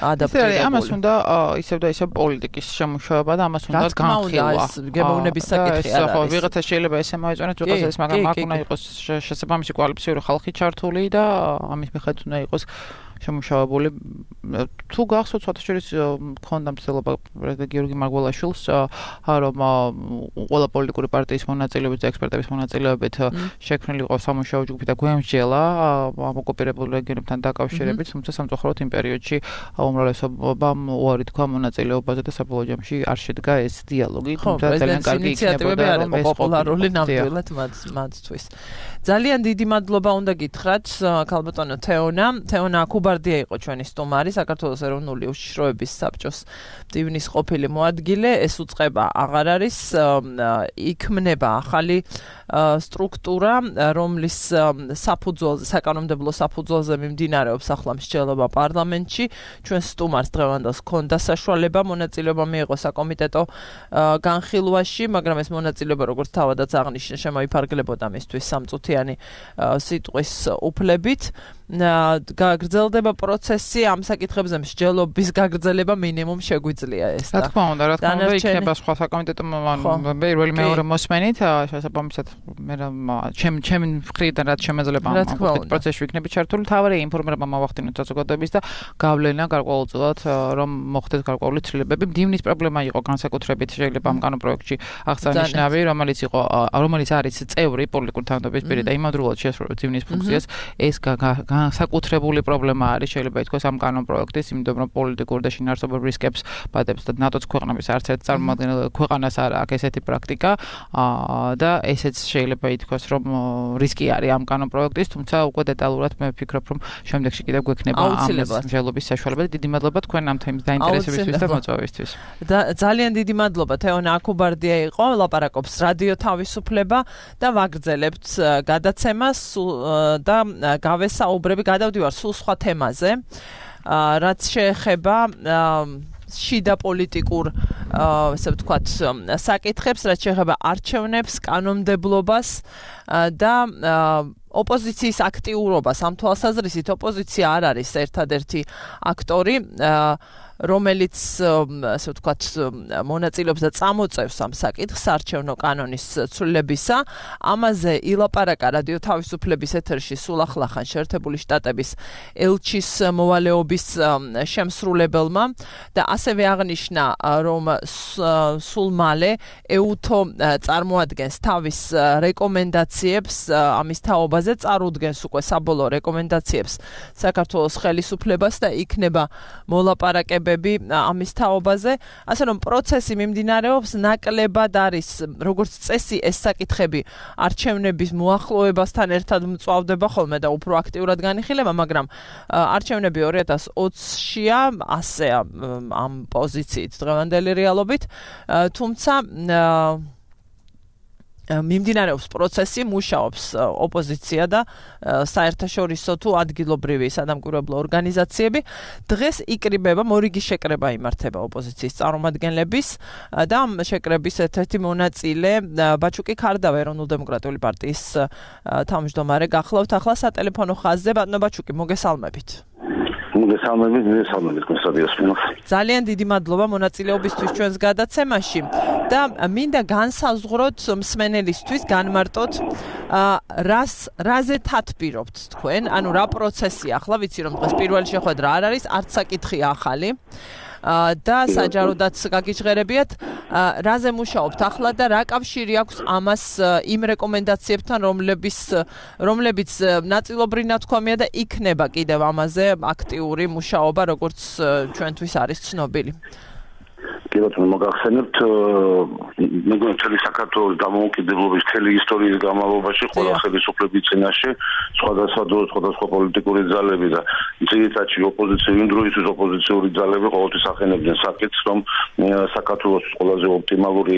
ადაპტირებული. ამას უნდა ისევ და ისევ პოლიტიკის შემუშავება და ამას უნდა განხილვა. გემოვნების საკითხი არ არის. ვიღაცა შეიძლება ესე მოეწონოს ვიღაცა ეს მაგრამ აქ უნდა იყოს შესაბამისი კვალიფიციური ხალხი ჩართული და ამის მიხედვით უნდა იყოს შემუშავებული თუ გახსოვთ სხვათაშორის მქონდა მცდელობა პრეზიდენტ გიორგი მარგველაშვილს რომ ყველა პოლიტიკური პარტიის მონაწილეობით და ექსპერტების მონაწილეობით შექმნილი იყო სამუშაო ჯგუფი და გვემსჯელა ამ ოკუპირებულ რეგიონებთან დაკავშირებით თუმცა სამწუხაროდ იმ პერიოდში უმრავლესობამ უარი თქვა მონაწილეობაზე და საბოლოო ჯამში არ შედგა ეს დიალოგი თუმცა ძალიან კარგი იქნებოდა რომ ეს პოპულარული ნამდვილად მათთვის ძალიან დიდი მადლობა უნდა გითხრათ ქალბატონო თეონა კუბარდია იყო ჩვენი სტუმარი საქართველოს ეროვნული უშიშროების საბჭოს მდივნის ყოფილი მოადგილე ეს უწყება აღარ არის იქმნება ახალი სტრუქტურა რომლის საფუძველზე საკანონმდებლო საფუძველზე მიმდინარეობს ახლა მსჯელობა პარლამენტში ჩვენ სტუმარს დღევანდელს ჰქონდა საშუალება მონაწილეობა მიიღო საკომიტეტო განხილვაში მაგრამ ეს მონაწილეობა როგორც თავადაც აღნიშნა შემოიფარგლებოდა მისთვის სამწუთიანი სიტყვის უფლებით გაგრძელდება პროცესი ამ საკითხებზე მსჯელობის გაგრძელება მინიმუმ შეგვიძლია ეს რა თქმა უნდა იქნება სხვა საკომიტეტო პირველი მეორე მოსმენით შესაბამისად მე ჩემი მხრიდან რაც შემეძლება ამ პროცესში ვიქნები ჩართული თავარი ინფორმირება მოვახდინოთ საზოგადოების და გავლენა გარკვეულწილად რომ მოხდეს გარკვეული ცვლილებები მდივნის პრობლემა იყო განსაკუთრებით შეიძლება ამ კანონპროექტში აღსანიშნავი რომელიც არის წევრი პოლიტიკური თანამდებობის პირი და იმავდროულად შეესრულებს მდივნის ფუნქციას ეს განსაკუთრებული პრობლემა არის შეიძლება ითქვას ამ კანონპროექტის, იმიტომ რომ პოლიტიკურ და შინაარსობრივ რისკებს ბადებს და ნატოს ქვეყნების არც ერთ წარმომადგენელ ქვეყანას არ აქვს ესეთი პრაქტიკა და ესეც შეიძლება ითქვას რომ რისკი არის ამ კანონპროექტის, თუმცა უკვე დეტალურად მე ვფიქრობ რომ შემდეგში კიდევ გვექნება ამის მსჯელობის საშუალება და დიდი მადლობა თქვენ ამ თემის დაინტერესებისთვის და მოწვევისთვის. ძალიან დიდი მადლობა თეონა აკუბარდია იყო, ლაპარაკობს რადიო თავისუფლება და ვაგრძელებთ გადაცემას და გავესაუბრები, გადავდივარ სულ სხვა თემაზე, რაც შეეხება შიდა პოლიტიკურ ესე ვთქვათ საკითხებს, რაც შეეხება არჩევნებს, კანონმდებლობას და ოპოზიციის აქტიურობას. ამ თვალსაზრისით ოპოზიცია არ არის ერთადერთი აქტორი, რომელიც ასე ვთქვათ მონაწილეობს და წამოწევს ამ საკითხს არჩევნო კანონის ცვლილებისა. ამაზე ილაპარაკა რადიო თავისუფლების ეთერში სულ ახლახან შეერთებული შტატების ელჩის მოვალეობის შემსრულებელმა და ასევე აღნიშნა, რომ სულ მალე EUTO წარმოადგენს თავის რეკომენდაციებს ამის თაობაზე, წარუდგენს უკვე საბოლოო რეკომენდაციებს საქართველოს ხელისუფლებას და იქნება მოლაპარაკება ამის თაობაზე, ასე რომ პროცესი მიმდინარეობს, ნაკლებად არის როგორც წესი ეს საკითხები არჩევნების მოახლოებასთან ერთად მწვავდება ხოლმე და უფრო აქტიურად განიხილება, მაგრამ არჩევნები 2020-შია, ასე ამ პოზიციით დღევანდელი რეალობით, თუმცა მიმდინარეობს პროცესი, მუშაობს ოპოზიცია და საერთაშორისო თუ ადგილობრივი სადამკვირვებლო ორგანიზაციები. დღეს იკრიბება, მორიგი შეკრება იმართება ოპოზიციის წარმომადგენლების და ამ შეკრების ერთ-ერთი მონაწილე ბაჩუკი ქარდავა, ეროვნულ-დემოკრატიული პარტიის თავმჯდომარე გახლავთ ახლა სატელეფონო ხაზზე. ბატონო ბაჩუკი, მოგესალმებით. ძალიან დიდი მადლობა მონაწილეობისთვის ჩვენს გადაცემაში და მინდა განსაზღვროთ მსმენელისთვის, განმარტოთ რაზე თათბირობთ თქვენ, ანუ რა პროცესია ახლა, ვიცი რომ დღეს პირველი შეხვედრა არ არის, არც საკითხი ახალი და საჯაროდაც გაგიჟღერებიათ, რაზე მუშაობთ ახლა და რა კავშირი აქვს ამას იმ რეკომენდაციებთან, რომლებიც ნაწილობრივ ნათქვამია და იქნება კიდევ ამაზე აქტიური მუშაობა, როგორც ჩვენთვის არის ცნობილი. კი ბატონო, მოგახსენებთ, მეგონა მთელი საქართველოს დამოუკიდებლობის მთელი ისტორიის განმავლობაში ყველა ხელისუფლების წინაშე სხვადასხვა პოლიტიკური ძალები და ძირითადად ოპოზიციური იმ დროისთვის ოპოზიციური ძალები ყოველთვის ახენებდნენ საკითხს, რომ საქართველოს ყველაზე ოპტიმალური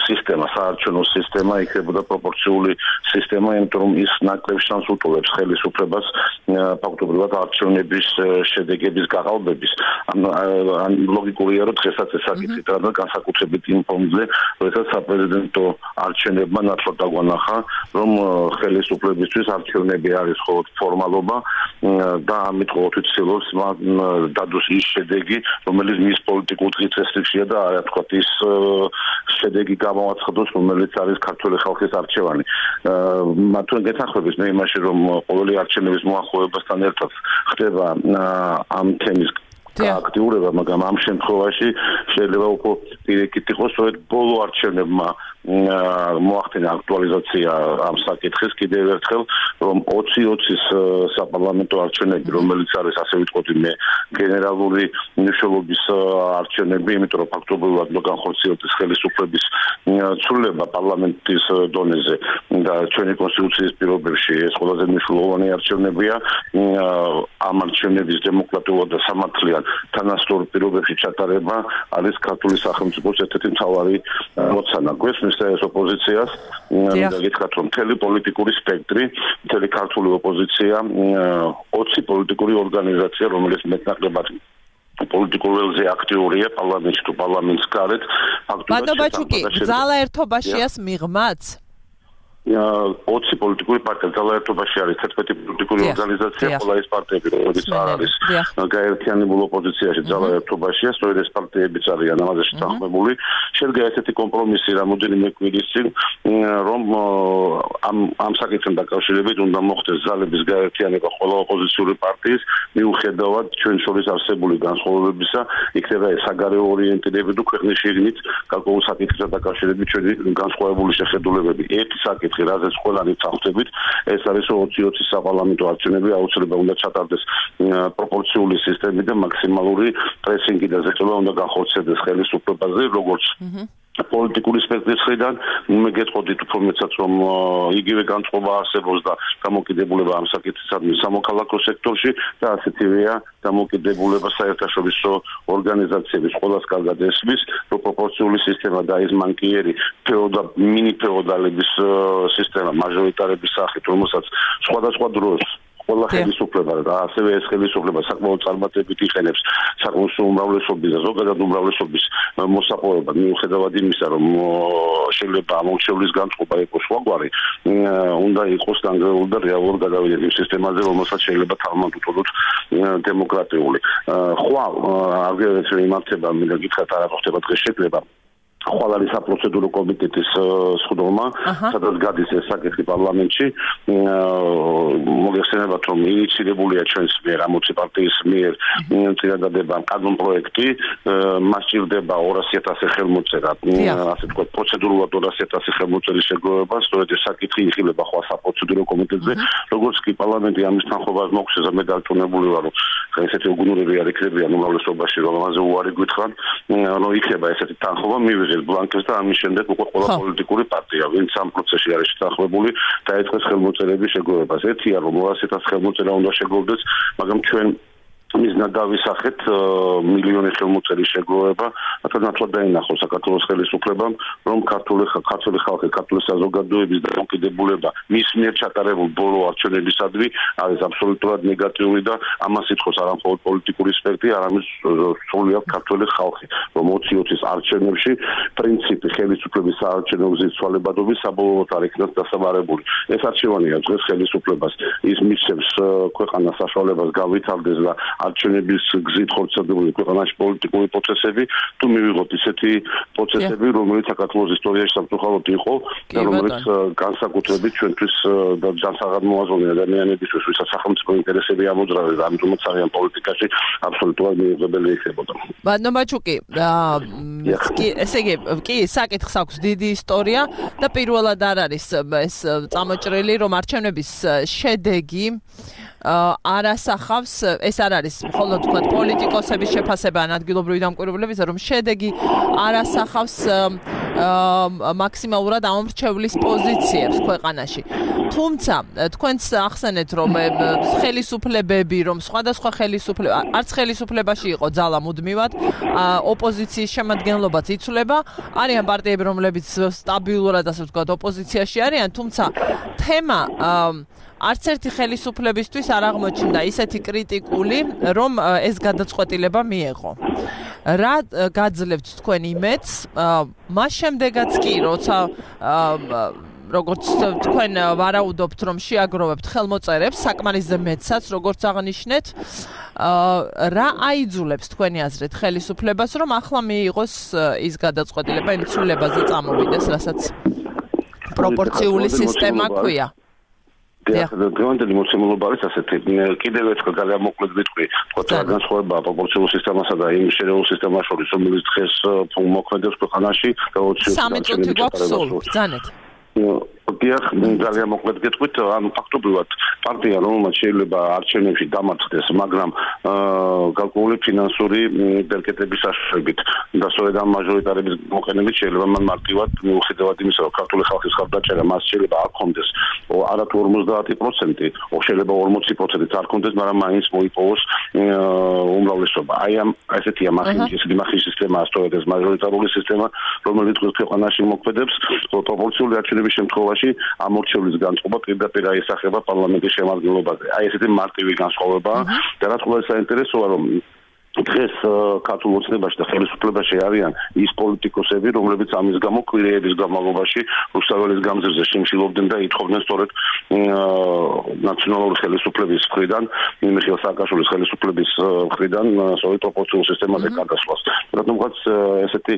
სისტემა, საარჩევნო სისტემა იქნებოდა პროპორციული სისტემა, იმიტომ რომ ის ნაკლებ შანსს უტოლებს ხელისუფლებას ფაქტობრივად არჩევნების შედეგების გაყალბების. ლოგიკურია, რომ დღესაც ეს საკითხი და განსაკუთრებით იმ ფონზე, როდესაც საპრეზიდენტო არჩევნებმა ნათლად დაგვანახა, რომ ხელისუფლებისთვის არჩევნები არის მხოლოდ ფორმალობა და ამით ყოველთვის ცდილობს დადოს ის შედეგი, რომელიც მის პოლიტიკურ დღესასწაულშია და რა თქვა ის შედეგი გამოაცხადოს, რომელიც არის ქართული ხალხის არჩევანი. მათთან გეთანხმებით მე იმაში, რომ ყოველი არჩევნების მოახლოებასთან ერთად ხდება ამ თემის აქტიურება, მაგრამ ამ შემთხვევაში შეიძლება უკვე პირიქით იყოს, რომ ბოლო არჩევნებმა მოახდინა აქტუალიზაცია ამ საკითხის კიდევ ერთხელ, რომ 2020-ის საპარლამენტო არჩევნები, რომელიც არის ასე ვიტყოდი მე გენერალური მნიშვნელობის არჩევნები, იმიტომ რომ ფაქტობრივად განხორციელდეს ხელისუფლების ცვლილება პარლამენტის დონეზე და ჩვენი კონსტიტუციის პირობებში ეს ყველაზე მნიშვნელოვანი არჩევნებია. ამ არჩევნების დემოკრატიულად და სამართლიან თანასწორ პირობებში ჩატარება არის ქართული სახელმწიფოს ერთ-ერთი მთავარი მოცანა. გვესმის ეს ოპოზიციას, გითხრათ რომ მთელი პოლიტიკური სპექტრი, მთელი ქართული ოპოზიცია, 20 პოლიტიკური ორგანიზაცია, რომელიც მეტნაკლებად პოლიტიკურ ველზე აქტიურია პარლამენტში თუ პარლამენტს გარეთ, ფაქტობრივად ბატონო, ძალა ერთობაშიას მიღმაც 20 პოლიტიკური პარტია ძალაერთობაში არის 11 პოლიტიკური ორგანიზაცია, ყველა ეს პარტიები რომელიც არ არის გაერთიანებულ ოპოზიციაში ძალაერთობაშია, სწორედ ეს პარტიებიც არიან ამაზე შეთანხმებული. შედგა ესეთი კომპრომისი რამოდენიმე კვირის წინ, რომ ამ საკითხთან დაკავშირებით უნდა მოხდეს ძალების გაერთიანება ყველა ოპოზიციური პარტიის, მიუხედავად ჩვენ შორის არსებული განსხვავებებისა, იქნება ეს საგარეო ორიენტირებით თუ ქვეყნის შიგნით გარკვეულ საკითხთან დაკავშირებით ჩვენი განსხვავებული შეხედულებები. ერთი საკითხი საკითხი, რაზეც ყველანი წავხვდებით, ეს არის 2020 საპარლამენტო არჩევნები, აუცილებლად უნდა ჩატარდეს პროპორციული სისტემით და მაქსიმალური პრესინგი და ზეწოლა უნდა განხორციელდეს ხელისუფლებაზე, როგორც პოლიტიკური სპექტრის მხრიდან მეგეწყოდით უფრო მეტსაც რომ იგივე განწყობა არსებობს და დამოკიდებულება ამ საკითხისადმი სამოქალაქო სექტორში და ასეთივეა დამოკიდებულება საერთაშორისო ორგანიზაციების ყველას კარგად ესმის რომ პროპორციული სისტემა და ის მანკიერი მინი ფეოდალების სისტემა მაჟორიტარების სახით რომელსაც სხვადასხვა დროს ყველა ხელისუფლება და ასევე ეს ხელისუფლება საკმაოდ წარმატებით იყენებს საკმაოდ უმრავლესობის და ზოგადად უმრავლესობის მოსაყოვებლად მიუხედავად იმისა რომ შეიძლება ამორჩევლის განწყობა იყოს სხვაგვარი უნდა იყოს დანგრეული და რეალურ გადავიდების სისტემაზე რომელსაც შეიძლება თამამად უთოლოთ დემოკრატიული ხვალ აგერეთ იმართება მინდა გითხრათ არა ხდება დღეს შეკრება ხვალ არის საპროცედურო კომიტეტის სხდომა, სადაც გადის ეს საკითხი პარლამენტში. მოგეხსენებათ, რომ ინიციირებულია ჩვენს მიერ ამოცი პარტიის მიერ წინადადება კანონპროექტი, მას ჭირდება 200,000 ხელმოწერა, ასე ვთქვათ, პროცედურულად 200,000 ხელმოწერის შეგროვება, სწორედ ეს საკითხი იხილება ხვალ საპროცედურო კომიტეტზე, როგორც კი პარლამენტი ამის თანხმობას მოგცეს, მე დარწმუნებული ვარ, რომ ესეთი უგუნურები არ იქნებიან უმრავლესობაში, რომ ამაზე უარი გითხრან, რომ იქნება ესეთი თანხმობა მივიღეს ბლანკებს და ამის შემდეგ უკვე ყველა პოლიტიკური პარტია, ვინც ამ პროცესში არის შეთანხმებული, დაიწყეს ხელმოწერების შეგროვებას. ერთია, რომ 200,000 ხელმოწერა უნდა შეგროვდეს, მაგრამ ჩვენ მიზნად დავისახეთ მილიონი ხელმოწერის შეგროვება, რათა ნათლად დაინახოს საქართველოს ხელისუფლებამ, რომ ქართული ხალხი, ქართული საზოგადოების დამოკიდებულება მის მიერ ჩატარებულ ბოლო არჩევნებისადმი არის აბსოლუტურად ნეგატიური და ამას ითხოვს არა მხოლოდ პოლიტიკური სპექტრი, არამედ სრულიად ქართული ხალხი, რომ 2020-ის არჩევნებში პრინციპი ხელისუფლების საარჩევნო გზის ცვალებადობის საბოლოოდ არ იქნას დასაბარებული. ეს არჩევანია დღეს ხელისუფლებას ის მისცემს ქვეყანას საშუალებას გავითარდეს და არჩევნების გზით ხორციელებული ქვეყანაში პოლიტიკური პროცესები თუ მივიღოთ ისეთი პროცესები რომელიც საქართველოს ისტორიაში სამწუხაროდ იყო და რომელიც განსაკუთრებით ჩვენთვის და განსაღადმოაზროვნე ადამიანებისთვის ვისაც სახელმწიფო ინტერესები ამოძრავეს და ამიტომაც არიან პოლიტიკაში აბსოლუტურად მიუღებელი იქნებოდა. ბანომაჩუკი ესე იგი კი საკითხს აქვს დიდი ისტორია და პირველად არ არის ეს წამოჭრილი რომ არჩევნების შედეგი არასახავს ეს არ არის მხოლოდ თქვა პოლიტიკოსების შეფასება ან ადგილობრივი დამკვირვებლების რომ შედეგი არასახავს მაქსიმალურად ამორჩევლის პოზიციებს ქვეყანაში. თუმცა თქვენს ახსენეთ რომ ხელისუფლებები რომ სხვადასხვა ხელისუფლება არც ხელისუფლებაში იყო ძალა მუდმივად ოპოზიციის შემადგენლობაც იცვლება არიან პარტიები რომლებიც სტაბილურად ასე ვთქვათ ოპოზიციაში არიან თუმცა თემა არც ერთი ხელისუფლებისთვის არ აღმოჩნდა ისეთი კრიტიკული, რომ ეს გადაწყვეტილება მიეღო. რა გაძლევთ თქვენ იმედს? მას შემდეგაც კი, როცა როგორც თქვენ ვარაუდობთ, რომ შეაგროვებთ ხელმოწერებს, საკმარისზე მეტსაც, როგორც აღნიშნეთ, რა აიძულებს თქვენი აზრით ხელისუფლებას, რომ ახლა მიიღოს ის გადაწყვეტილება იმ ცვლილებაზე წამოვიდეს, რასაც პროპორციული სისტემა ქვია. დღევანდელი მოცემულობა არის ასეთი. კიდევ ერთხელ ძალიან მოკლედ ვიტყვი, თქო განსხვავება პროპორციულ სისტემასა და იმ შერეულ სისტემას შორის, რომელიც დღეს მოქმედებს ქვეყანაში და 20 3 წუთი გვაქვს სულ, ბრძანეთ. დიახ, ძალიან მოკლედ გეტყვით, ანუ ფაქტობრივად პარტია რომელმაც შეიძლება არჩევნებში დამარცხდეს, მაგრამ გარკვეული ფინანსური ბერკეტების საშუალებით და სწორედ ამ მაჟორიტარების მოყენებით შეიძლება მან მარტივად მიუხედავად იმისა, რომ ქართული ხალხის ხარდაჭერა მას შეიძლება არ ქონდეს, არა თუ 50%, შეიძლება 40%-იც არ ქონდეს, მაგრამ მაინც მოიპოვოს უმრავლესობა. აი ამ ესეთი მახის სისტემაა სწორედ ეს მაჟორიტარული სისტემა, რომელიც ქვეყანაში მოქმედებს, პროპორციული არჩევნების შემთხვევაში ამორჩევლის განწყობა პირდაპირ აისახება პარლამენტის შემადგენლობაზე. აი ესეთი მარტივი განსხვავებაა და რაც ყველაზე საინტერესოა რომ დღეს ქართულ ოცნებაში და ხელისუფლებაში არიან ის პოლიტიკოსები, რომლებიც ამის გამო კვირეების განმავლობაში რუსთაველის გამზირზე შიმშილობდნენ და ითხოვდნენ სწორედ ნაციონალური ხელისუფლების მხრიდან, მიხეილ სააკაშვილის ხელისუფლების მხრიდან სწორედ პროპორციულ სისტემაზე გადასვლას. რადგანაც ესეთი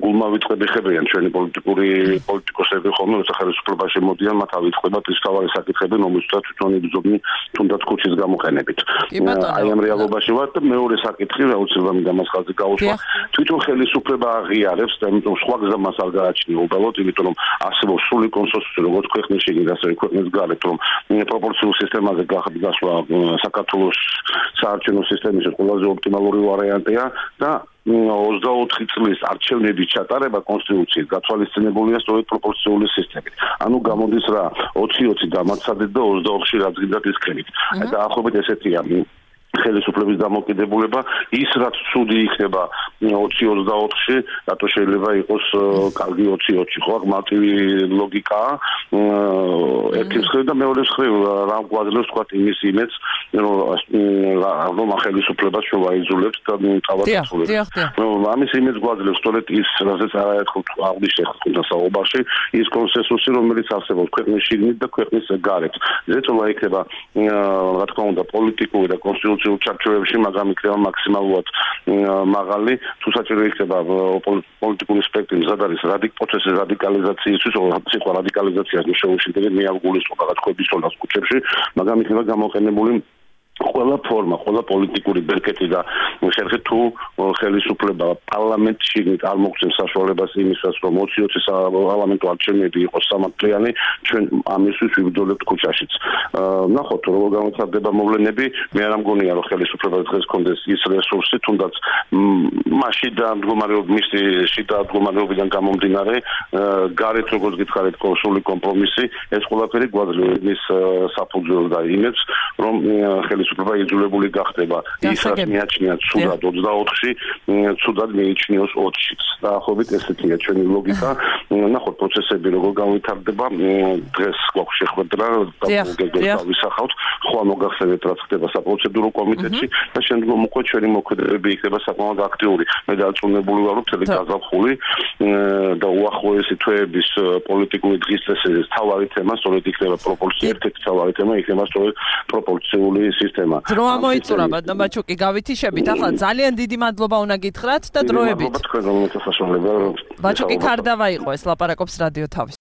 გულმავიწყები ხებიან ჩვენი პოლიტიკოსები ხოლმე, როცა ხელისუფლებაში მოდიან, მათ ავიწყდება ის თავარი საკითხები, რომელსაც თვითონ იბრძოდნენ თუნდაც ქუჩის გამოყენებით. აი ამ რეალობაში ვარ და მეორე საკითხი საკითხი, აუცილებლად მინდა მას ხაზი გაუსვა. თვითონ ხელისუფლება აღიარებს და იმიტომ სხვა გზა მას არ გააჩნია უბრალოდ, იმიტომ რომ არსებობს სრული კონსენსუსი როგორც ქვეყნის შიგნით, ასევე ქვეყნის გარეთ, რომ პროპორციულ სისტემაზე გასვლა საქართველოს საარჩევნო სისტემის ყველაზე ოპტიმალური ვარიანტია და 24 წლის არჩევნების ჩატარება კონსტიტუციით გათვალისწინებულია სწორედ პროპორციული სისტემით. ანუ გამოდის რა 20-20 დამაცადეთ და 24-ში რაც გინდათ ის ქენით. დაახლოებით ესეთია ხელისუფლების დამოკიდებულება ის რაც ცუდი იქნება 20-24-ში, რატო შეიძლება იყოს კარგი 20-20-ში, ხო, მარტივი ლოგიკაა. ერთი მხრივ და მეორე მხრივ რა გვაძლევს თქვა იმის იმედს, რომ ხელისუფლებას შევაიძულებთ და თავადაც. ამის იმედს გვაძლევს სწორედ ის, რასაც არაერთხელ აღნიშნეთ ხუთა საუბარში, ის კონსენსუსი, რომელიც არსებობს ქვეყნის შიგნით და ქვეყნის გარეთ. ზეწოლა იქნება, რა თქმა უნდა, პოლიტიკური და კონსტიტუციური ჩარჩოებში, მაგრამ იქნება მაქსიმალურად მაღალი, თუ საჭირო იქნება პოლიტიკური სპექტრი მზად არის პროცესის რადიკალიზაციისთვის, სიტყვა რადიკალიზაციას შეუშინდებით მე არ გულისხმობ რაღაც ხვებისონას კუჩებში, მაგრამ იქნება გამოყენებული ყველა ფორმა, ყველა პოლიტიკური ბერკეტი და ხერხი თუ ხელისუფლება პარლამენტში არ მოგცემს საშუალებას იმისას, რომ 20-20 პარლამენტო არჩევნები იყოს სამართლიანი, ჩვენ ამისთვის ვიბრძოლებთ ქუჩაშიც. ნახოთ, როგორ განვითარდება მოვლენები, მე არ მგონია, რომ ხელისუფლებას დღეს კონდეს ის რესურსი, თუნდაც მასში და მდგომარეობიდან გამომდინარე, გარეთ როგორც გითხარით, სრული კომპრომისი, ეს ყველაფერი გვაძლევს ის საფუძველს და იმედს, რომ ხელისუფლება იძულებული გახდება ის რაც მიაჩნია ცუდად 24-ში, ცუდად მიიჩნიოს 20-შიც. დაახლოებით ესეთია ჩვენი ლოგიკა. ნახოთ პროცესები როგორ განვითარდება. დღეს გვაქვს შეხვედრა და ვისახავთ, ხვალ მოგახსენეთ რაც ხდება საპროცედურო კომიტეტში და შემდგომ უკვე ჩვენი მოქმედებები იქნება საკმაოდ აქტიური. მე დარწმუნებული ვარ, რომ მთელი გაზაფხული და უახლოესი თვეების პოლიტიკური დღის წესების თავარი თემა სწორედ იქნება ერთ-ერთი თავარი თემა იქნება სწორედ პროპორციული სისტემა. დრო ამოიწურა ბატონბაჩუკი გავითიშებით. ახლა ძალიან დიდი მადლობა უნდა გითხრათ და დროებით. მადლობა თქვენ რომ მოსასწრებელია. ბაჩუკი ქარდავა იყო ეს ლაპარაკობს რადიო თავის.